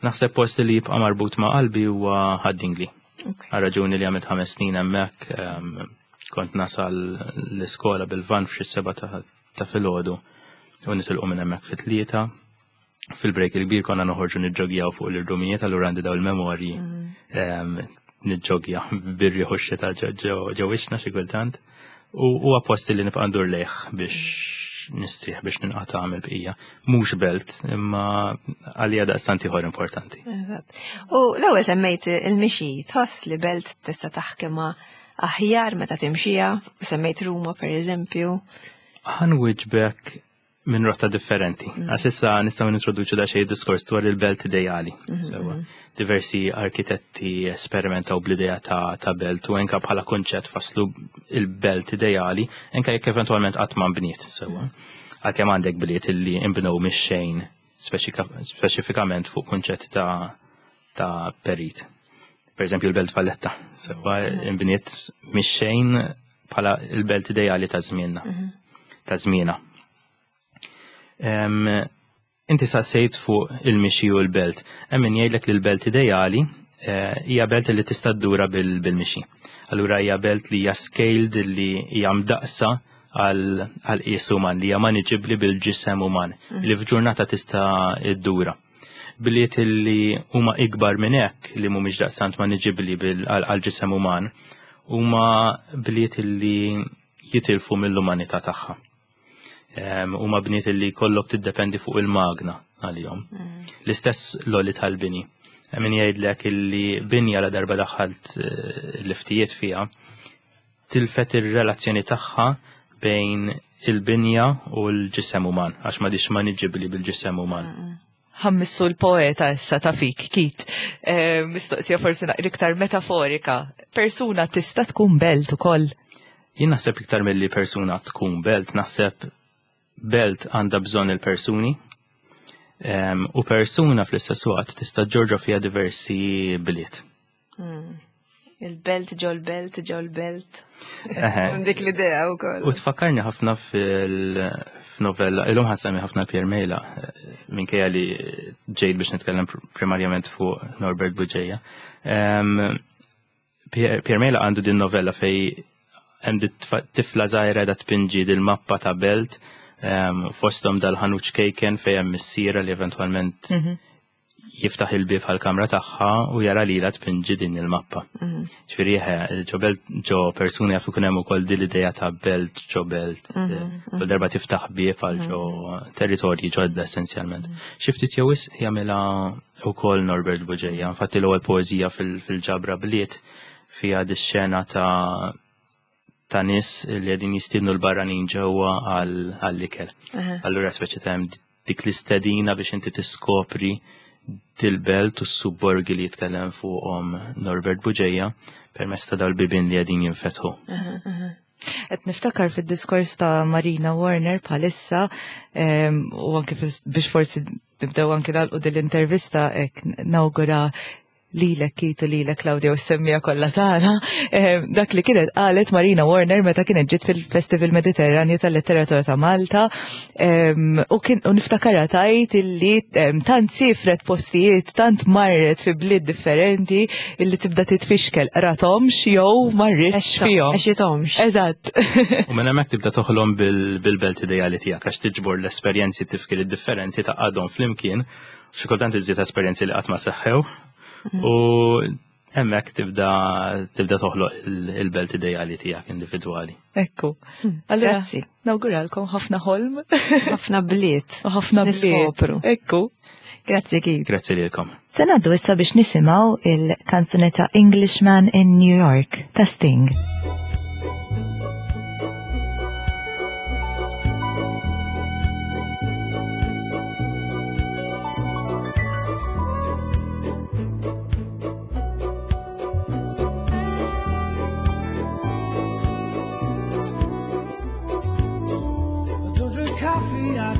S5: Naħseb post li jibqa' marbut ma' qalbi huwa Ħad-Dingli. Għal raġuni li għamilt ħames snin hemmhekk, ehm, kont nasal l-iskola bil-van f'xi seba' ta' filgħodu u nitilqu minn hemmhekk fit-tlieta. Fil-break il-kbir konna noħorġu niġġogjaw fuq l-irdumijiet, allura għandi daw il-memorji mm. ehm, niġġogja bir-riħ u x-xita ġo wiċċna xi kultant. U huwa post li nibqa' ndur lejh biex nistrieħ biex ninqata' mill-bqija. Mhux belt, imma għalija daqstant ieħor importanti.
S2: Eżatt. U l-ewwel semmejt il-mixi, tħoss li belt tista' taħkimha aħjar meta timxija, semmejt Ruma per eżempju.
S5: Ħanwiġbek minn rotta differenti. Għax issa nistgħu nintroduċu da xejn diskors dwar il-belt ideali. Mhm, Sewa. Mhm. Diversi arkitetti esperimentaw bl-idea ta', ta belt u enka bħala konċett faslu il-belt ideali, enka jekk eventwalment qatt ma nbniet sewa. Mhm. Għalkemm għandek bliet illi nbnew mix-xejn speċifikament fuq kunċett ta' ta' perit. Per eżempju l-Belt Valletta, sewa imbniet mix-xejn bħala l-belt ideali ta' żmienna. Ta' żmiena. Inti saqsejt fuq il-mixi u l-belt. Hemm min jgħidlek li l-belt ideali eh, hija belt li tista' ddura bil-mixi. Allura hija belt li hija scaled li hija mdaqsa għal qies uman li hija maniġibbli bil-ġisem uman li f'ġurnata tista' ddura. Bliet li huma ikbar minn hekk li mhumiex daqstant maniġibbli għall-ġisem uman huma bliet li jitilfu mill-umanità tagħha. Huma bniet li kollok tiddependi fuq il-magna għalihom. Mm. L-istess loli tal-bini. Min jgħidlek illi binja la darba daħħalt eh, l-liftijiet fiha, tilfet ir-relazzjoni tagħha bejn il-binja u l-ġisem uman, għax ma dix maniġibli bil-ġisem uman. Mm.
S3: Ħammissu l-poeta issa ta' fik, Kit. Eh, mistoqsija forsi naqra iktar metaforika. Persuna tista' tkun belt ukoll.
S5: Jien naħseb iktar milli persuna tkun belt, naħseb belt għandha bżonn il-persuni. U persuna fl-istess waqt tista' ġorġa fiha diversi bliet.
S2: Hmm. Il-belt ġol belt ġol belt. Dik l-idea u koll.
S5: U tfakkarni ħafna fil-novella, illum ħasami ħafna Pier Mejla, minkejja li ġejt biex nitkellem primarjament fuq Norbert Buġeja. Pier Mejla għandu din novella fej hemm tifla żgħira da tpinġi dil-mappa ta' belt fosthom dal-ħanut ċkejken fej hemm missiera li eventwalment mhm. jiftaħ il-bieb għall-kamra tagħha u jara lilha tpinġi din il-mappa. Mhm. Ġifieri ġo belt ġo persuni jaf ikun hemm ukoll din l-idea ta' belt ġo belt, mhm, mhm. kull darba tiftaħ bieb għal ġo territorji ġodda essenzjalment. Xi ftit jew wisq jagħmilha wkoll Norbert Buġeja, infatti l-ewwel poeżija fil-ġabra bliet fiha dix-xena ta' ta' nies li qegħdin jistiednu l-barranin ġewwa għall-ikel. Allura speċi ta' hemm dik l-istedina biex inti tiskopri dil-belt u s-subborgi li jitkellem fuqhom Norbert Buġeja permezz ta' dal-bibien li qegħdin jinfetħu.
S3: Qed niftakar fid-diskors ta' Marina Warner bħalissa u anke biex forsi nibdew anke nagħlqu din l-intervista hekk nawgura lilek Keith u lilek Claudia u s-semmija kollha tagħna, eh, dak li kienet qalet Marina Warner meta kienet ġiet fil-Festival Mediterranju tal-Letteratura ta' Malta u kien u niftakarha tajt illi tant sifret postijiet, tant marret fi bliet differenti illi tibda titfixkel ratomx jew marritx fihom.
S2: Għexitomx.
S3: Eżatt.
S5: U minn hemmhekk tibda toħlom bil-belt ideali tiegħek għax tiġbor l-esperjenzi tifkir differenti ta' għadhom flimkien Xi kultant iżjed esperjenzi li qatt ma seħħew mm. u hemmhekk tibda tibda toħloq il-belt ideali tiegħek individwali.
S3: Ekku. Hmm. Allura, Grazzi. Nawguralkom ħafna ħolm.
S2: Ħafna bliet.
S3: U ħafna
S2: bliet.
S3: Ekku.
S2: Grazzi kif.
S5: Grazzi lilkom.
S3: Se ngħaddu issa biex nisimgħu il-kanzunetta Englishman in New York ta' Sting.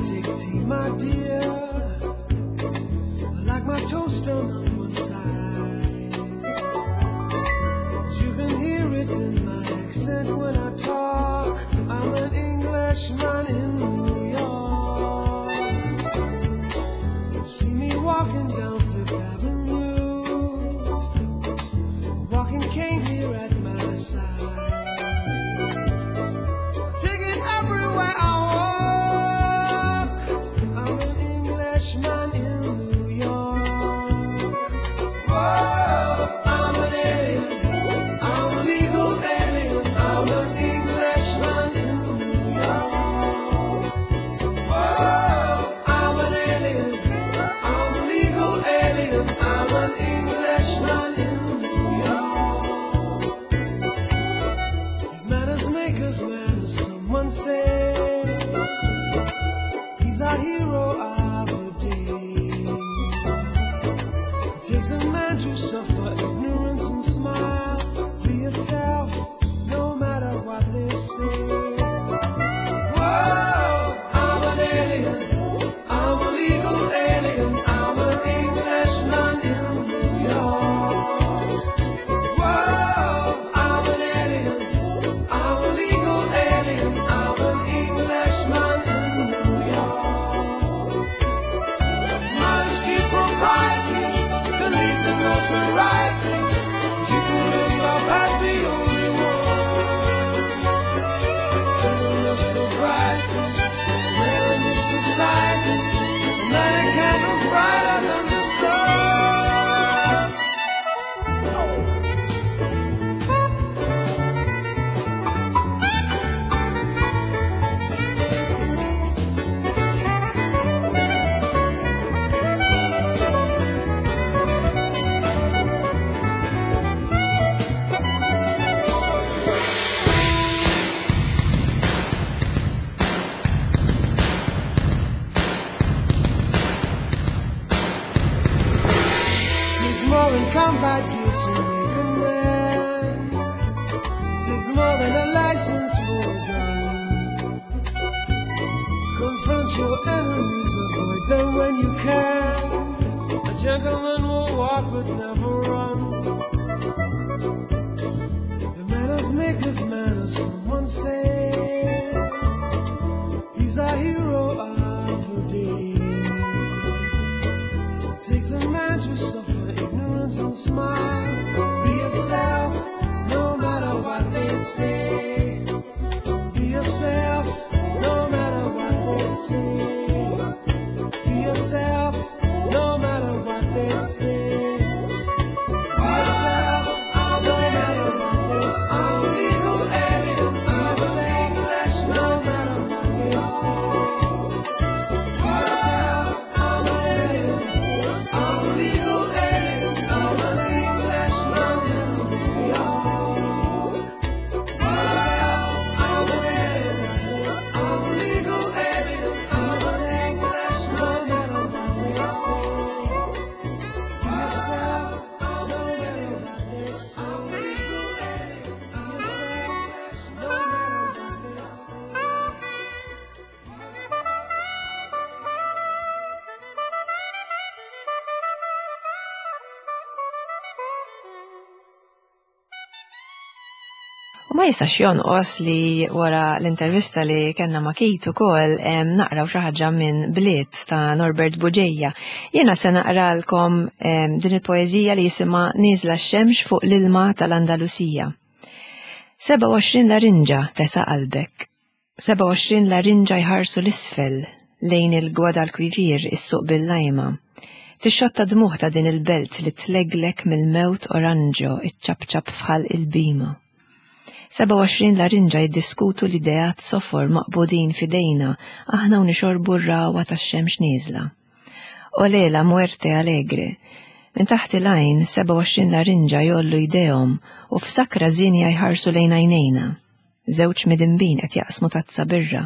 S3: Take tea, my dear. I like my toast on one side. You can hear it in my accent when I talk. I'm an Englishman in New York. See me walking down Fifth Avenue, walking cane here at my side. Take it everywhere I walk. I'm an Englishman in New York. Whoa, I'm an alien.
S6: to rights. You can live up as the only one. Love so bright, we're in this society. Not a candle's brighter than the sun. Takes more than combat gear to make a man. It takes more than a license for a gun. Confront your enemies, avoid them when you can. A gentleman will walk but never run. The manners maketh manners, someone say. He's our hero of the day. Takes a man to suffer ignorance and smile. Be yourself, no matter what they say. Be yourself, no matter what they say. Be yourself, no matter what they say. Be yourself, no matter what they say. I'm legal alien, I'm English, no matter what they say. Be yourself, I'm alien. I'm legal alien, I'm English, no matter what they say. Be yourself, I'm alien. I'm legal alien, I'm English, no matter what they say. Be yourself, I'm alien. I'm legal alien, I'm English, no matter what they say.
S2: U ma jistax jonqos li wara l-intervista li kellna ma' Keith ukoll naqraw xi ħaġa minn Bliet ta' Norbert Bugeja. Jiena se naqralkom din il-poeżija li jisimha Nieżla x-xemx fuq l-ilma tal-Andalusija. 27 larinġa tesa' qalbek. 27 larinġa jħarsu l-isfel lejn il-Guadalquivir is-suq bil-lajma. Tixxotta dmuħ ta' din il-belt li tleglek mill-mewt oranġo iċċabċab fħal il-bima. 27 larinġa jiddiskutu l-ideat sofor maqbudin fidejna aħna u nixorbu r-rawa tax-xemx nieżla. Olé la muerte alegre. Minn taħt il-għajn 27 larinġa jollu jdejhom u f'sakra żinja jħarsu lejn għajnejna. Żewġ midinbin qed jaqsmu tazza birra,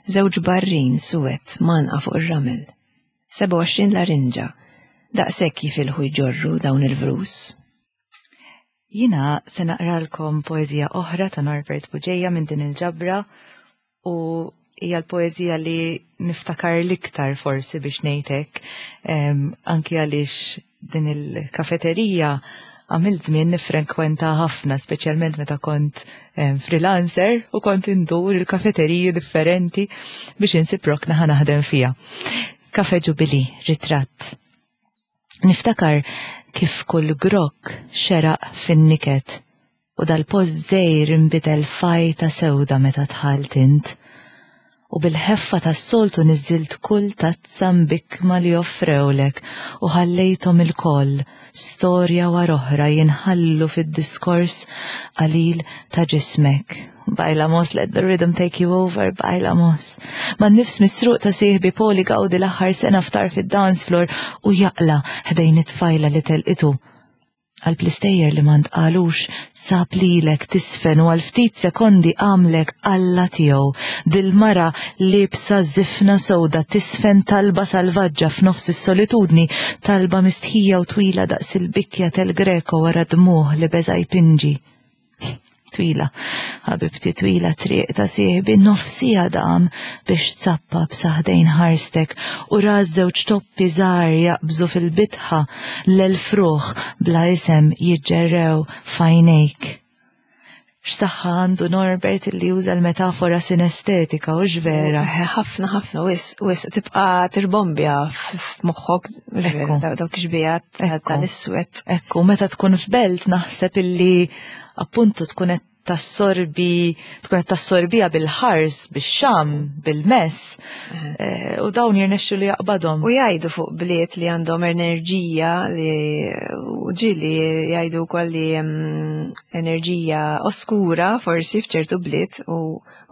S2: żewġ barrin suwed manqa fuq ir-ramel. 27 larinġa, daqshekk jifilħu jġorru dawn il-vrus.
S3: Jina se naqralkom poeżija oħra ta' Norbert Bugeja minn din il-ġabra u hija l-poeżija li niftakar l-iktar forsi biex ngħidlek, anki għaliex din il-kafeterija għamilt żmien nifrekwenta ħafna, speċjalment meta kont freelancer u kont indur il-kafeteriji differenti biex insib rokna ħa naħdem fiha. Kafe Jubilee, ritratt. Niftakar kif kull grokk xeraq fin-niket u dal-post żgħir inbidel fajta sewda meta dħalt int. U bil-ħeffa tas-soltu niżżilt kull tazza mbikma li offrewlek u ħallejthom ilkoll storja wara oħra jinħallu fid-diskors qalil ta' ġismek. Bailamos, let the rhythm take you over, bailamos. Ma nifs misruq ta' sieħbi Poli gawdi l-aħħar sena ftar fid-dance floor u jaqla ħdejn it-tfajla li telqitu. Għal plistejjer li ma ntqalux sab lilek tisfen u għal ftit sekondi għamlek alla tiegħu. Dil-mara libsa żifna sewda tisfen talba salvaġġa f'nofs is-solitudni, talba mistħija u twila daqs il-bikja tel-Greko wara dmuħ li beża jpinġi. Twila, ħabibti twila triq ta' sieħbi nofsija dam biex tsappa b'saħdejn ħarstek u ra żewġ toppi żgħar jaqbżu fil-bitħa l-elf ruħ bla isem jiġġerrew f'għajnejk. X'saħħa għandu Norbert li juża l-metafora sinestetika u vera.
S2: Ħafna ħafna wis wis tibqa' tirbombja f'moħħok dawk xbijat tal-iswed.
S3: Ekku, meta tkun f'belt naħseb illi appuntu tkun qed tassorbi, tkun qed tassorbija bil-ħars, bix-xam, bil-mess, eh, u dawn jirnexxu li jaqbadhom.
S2: U jgħidu fuq bliet li għandhom enerġija li u ġili jgħidu wkoll li mm, enerġija oskura forsi f'ċertu bliet u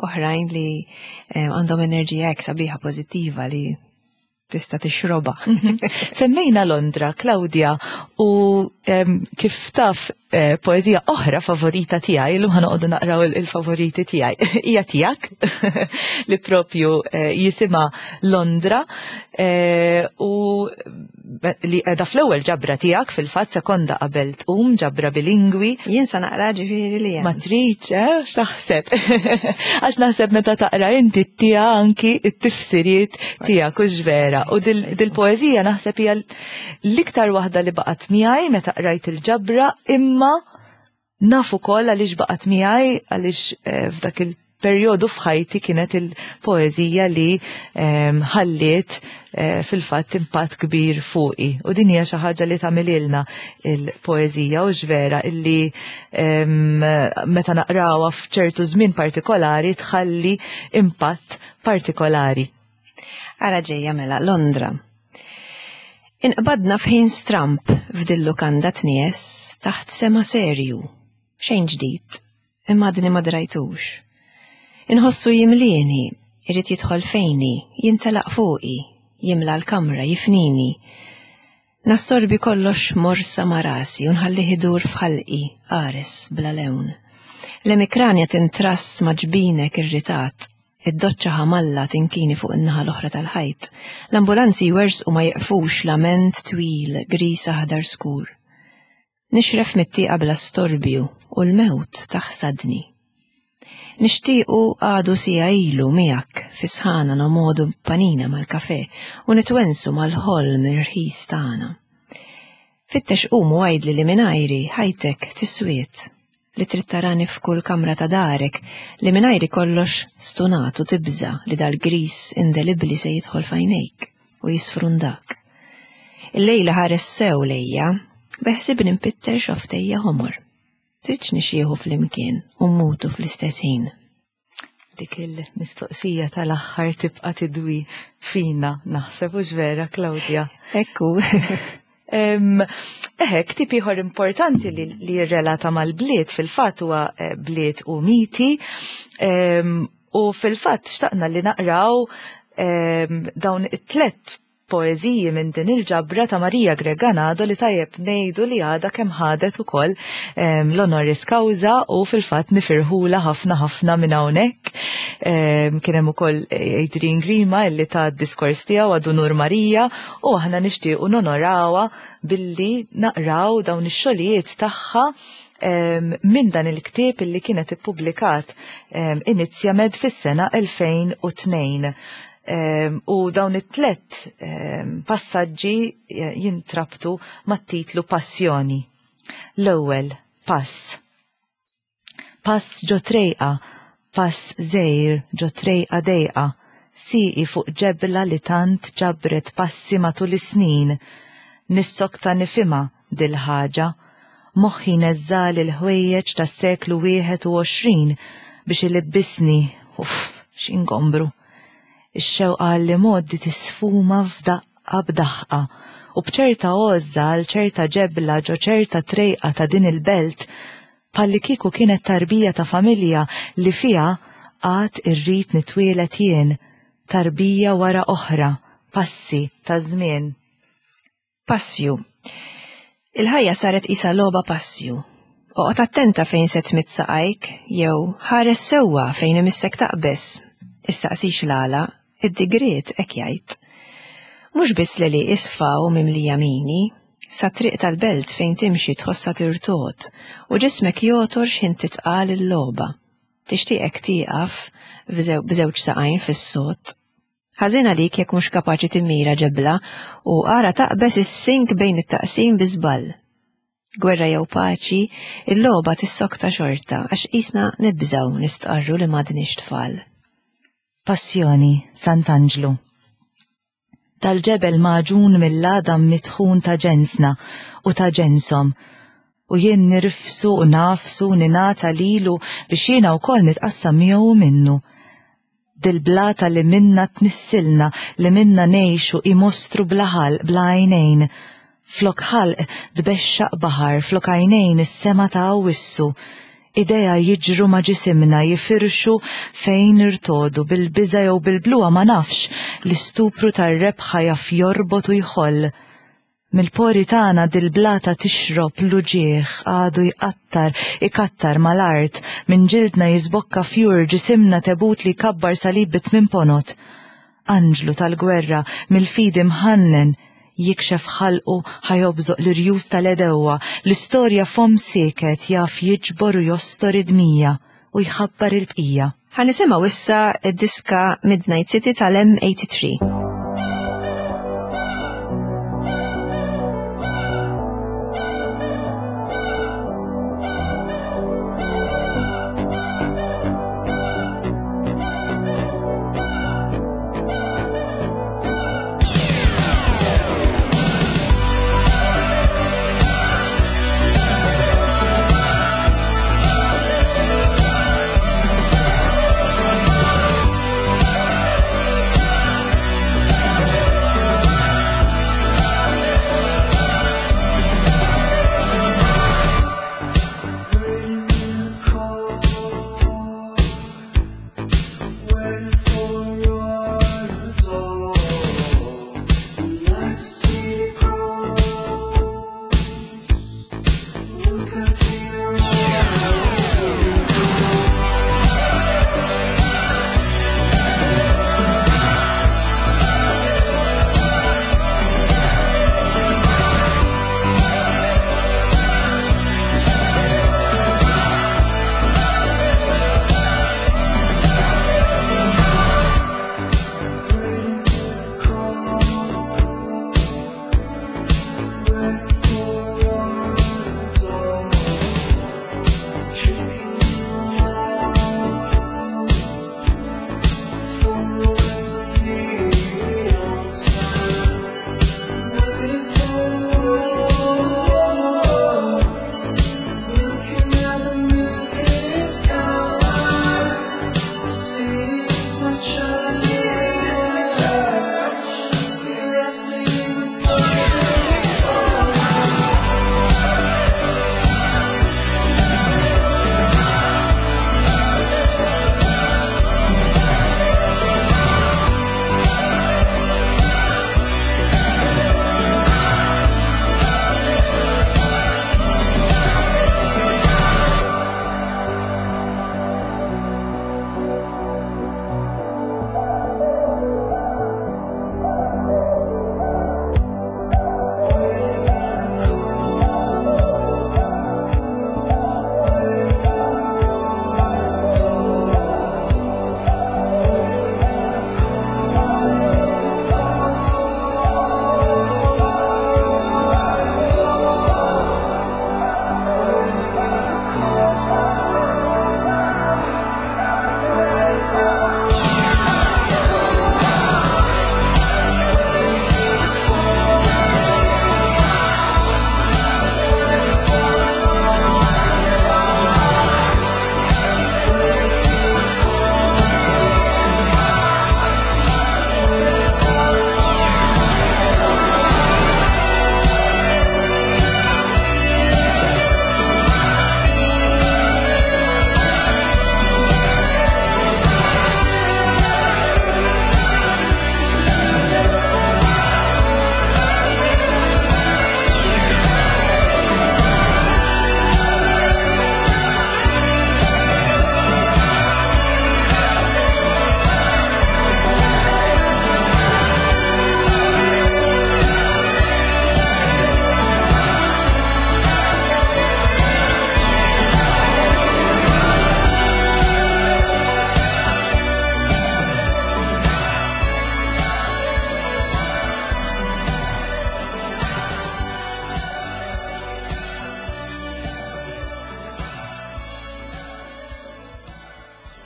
S2: oħrajn li eh, għandhom enerġija hekk sabiħa pożittiva li tista' tixrobha.
S3: Semmejna Londra, Claudia, u kif taf eh, poezija oħra favorita tiegħi, illum ħanoqogħdu naqraw il-favoriti tiegħi, hija tiegħek li propju eh, jisimha Londra eh, u li qiegħda fl-ewwel ġabra tiegħek fil-fatt sekonda qabel tqum ġabra bilingwi.
S2: Jien sa naqra ġifieri li
S3: Ma tridx, eh, x'taħseb? Għax naħseb meta taqra inti tija anki t-tifsiriet tiegħek hux vera. U dil-poeżija naħseb hija l-iktar waħda li baqgħet miegħi meta qrajt il-ġabra imma naf ukoll għaliex baqgħet miegħi għaliex eh, f'dak il-perjodu f'ħajti kienet il-poeżija li ehm, ħalliet eh, fil-fatt impatt kbir fuqi. U din hija xi ħaġa li tagħmililna il-poeżija u x'vera illi ehm, meta naqrawha f'ċertu żmien partikolari tħalli impatt partikolari.
S2: Ara ġejja mela Londra. Inqbadna f'ħin stramp f'dil-lukanda tnies taħt sema serju. Xejn ġdid, imma għadni ma drajtux. Inħossu jimlieni, irid jidħol fejni, jintelaq fuqi, jimla l-kamra, jifnini. Nassorbi kollox morsa ma' rasi u nħallih idur f'ħalqi, qares, bla lewn. L-emikranja tintrass ma' ġbinek irritat, id-doċċa ħamalla tinkini fuq in-naħa l-oħra tal-ħajt. L-ambulanzi jwerżqu ma jiqfux lament twil, griż aħdar skur. Nixref mit-tieqa bla storbju u l-mewt taħsadni. Nixtiequ għadu siegħa ilu miegħek fi sħana nomogħdu panina mal-kafè u nitwensu mal-ħolm irħis tagħna. Fittex qum u għidli li mingħajri ħajtek tiswiet, li trid tarani f'kull kamra ta' darek, li mingħajri kollox stunat u tibża' li dal-griż indelibbli se jidħol f'għajnejk u jisfrundak. Illejla ħares sew lejja, beħsibni npitter xofftejja ħomor. Tridx nixjieħu flimkien u mmutu fl-istess ħin?
S3: Dik il-mistoqsija tal-aħħar tibqa' tidwi fina, naħseb hux vera, Claudia?
S2: Ekku.
S3: Eħe, ktib ieħor importanti li, li jirrelata mal-bliet fil-fatt huwa eh, bliet u miti. U fil-fatt xtaqna li naqraw dawn it-tlet poeżiji minn din il-ġabra ta' Maria Greganado li tajjeb ngħidu li għadha kemm ħadet ukoll ehm, l-honoris causa u fil-fatt nifirħula ħafna ħafna minn hawnhekk. Ehm, kien hemm ukoll Adrian Grima illi ta' diskors tiegħu għadu Nur Marija u aħna nixtiequ nonorawha billi naqraw dawn ix-xogħlijiet tagħha ehm, minn dan il-ktieb illi kienet ippubblikat Inizjamed fis-sena 2002. Ehm, u dawn it-tlet ehm, passaġġi eh, jintrabtu mat-titlu Passjoni. L-ewwel pass. Pass ġo trejqa, pass żgħir ġo trejqa dejqa, sieqi fuq ġebla li tant ġabret passi matul is-snin. Nissokta nifhimha dil-ħaġa. Moħħi neżżagħli l-ħwejjeġ tas-seklu 21 biex ilibbisni, uff, x'ingombru. Ix-xewqa għall-imgħoddi tisfuma f'daqqa b'daħqa u b'ċerta għożża għal ċerta ġebla ġo ċerta trejqa ta' din il-belt bħallikieku kienet tarbija ta' familja li fiha għad irrid nitwieled jien, tarbija wara oħra, passi ta' żmien.
S2: Passju. Il-ħajja saret qisha logħba passju. Oqgħod attenta fejn se tmidd saqajk jew ħares sewwa fejn imissek taqbeż. Issaqsix l-għala, id-digriet hekk jgħid. Mhux biss l-għelieqi sfaw mimlija mini, sat-triq tal-belt fejn timxi tħossha tirtogħod u ġismek jogħtor x'ħin titqal il-logħba. Tixtieqek tieqaf b'żewġ saqajn fis-sod. Ħażin għalik jekk mhux kapaċi timmira ġebla u ara taqbeż is-sink bejn it-taqsim bi żball. Gwerra jew paċi, il-logħba tissokta xorta għax qisna nibżgħu nistqarru li m'għadniex tfal.
S3: Passjoni, Sant'Anġlu. Dal-ġebel magħġun mill-għadam mitħun ta' ġensna u ta' ġenshom, u jien nirfsu u nagħfsu u ningħata lilu biex jiena wkoll nitqassam miegħu u minnu. Dil-blata li minnha tnissilna, li minnha ngħixu hi mostru bla ħalq, bla għajnejn. Flok ħalq tbexxaq baħar, flok għajnejn is-sema ta' Awwissu. Idejha jiġru ma' ġisimna, jifirxu fejn nirtogħdu, bil-biża' jew bil-bluha ma nafx, l-istupru tar-rebħa jaf jorbot u jħoll. Mill-pori tagħna dil-blata tixrob l-uġigħ għadu jqattar, ikattar mal-art, minn ġildna jiżbokka fjur, ġisimna tebut li jkabbar salib bi tmien ponot. Anġlu tal-gwerra, mill-fidi mħannen, jikxef ħalqu ħa jobżoq l-irjus tal-għedewwa, l-istorja fomm sieket jaf jiġbor u jostor id-dmija u jħabbar il-bqija.
S2: Ħa nisimgħu issa d-diska Midnight City tal-M83.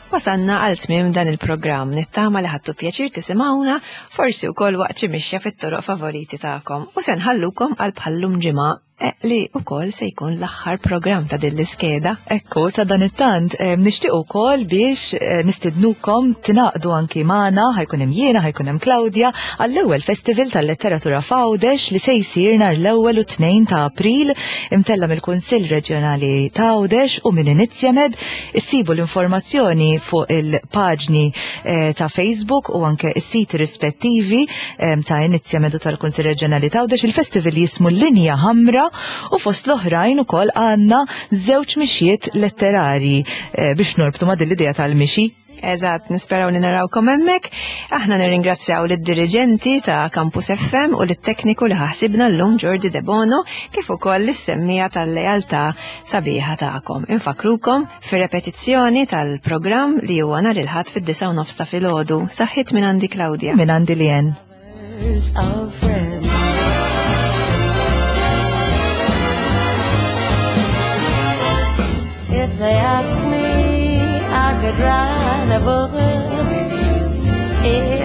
S2: Wasanna għal tmiem dan il-programm nittama li ħadtu pjaċir tisimgħuna forsi wkoll waqt xi mixja fit-toroq favoriti tagħkom u se nħallukom għal bħallum ġimgħa Eh, li wkoll se jkun l-aħħar programm ta' din l-iskeda.
S3: Ekku, sa dan it-tant, eh, nixtieq ukoll biex eh, nistidnukom tingħaqdu anki magħna, ħajkun hemm jiena, ħajkun hemm Claudia, għall-ewwel Festival tal-Letteratura f'Għawdex li se jsir nhar l-ewwel u tnejn ta' April imtella mill-Kunsill Reġjonali ta' Għawdex u minn Inizjamed. Issibu l-informazzjoni fuq il-paġni ta' Facebook u anke s-siti rispettivi ta' Inizjamed u tal-Kunsill Reġjonali ta' Għawdex. Il-festival jismu Linja Ħamra u fost l-oħrajn ukoll għandna żewġ mixjiet letterarji eh, biex norbtu ma' din l-idea tal-mixi.
S2: Eżatt, nisperaw li narawkom hemmhekk. Aħna nirringrazzjaw lid-diriġenti ta' Campus FM u lit-tekniku li ħasibna llum Jordi Debono kif ukoll lis-semmija tal-lealtà sabiħa tagħkom. Infakrukom fir-repetizzjoni tal-programm li huwa nhar il-Ħadd fid-9 nofs ta' filgħodu. Saħħit minn għandi Claudia.
S3: Minn għandi Lien.
S1: If they ask me, I could write a book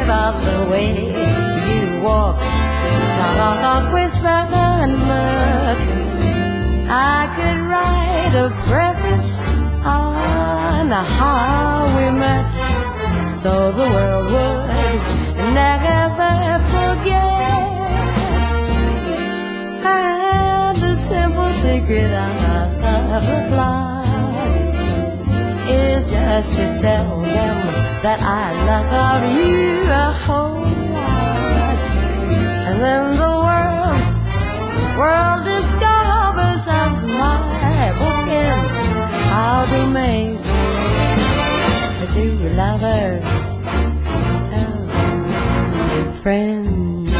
S1: about the way you walk, talk, whisper, and look. I could write a preface on how we met, so the world would never forget. And the simple secret of the plot is just to tell them that I love you a whole lot. And then the world, world discovers as my bookends I'll be made the two lovers, oh, friends.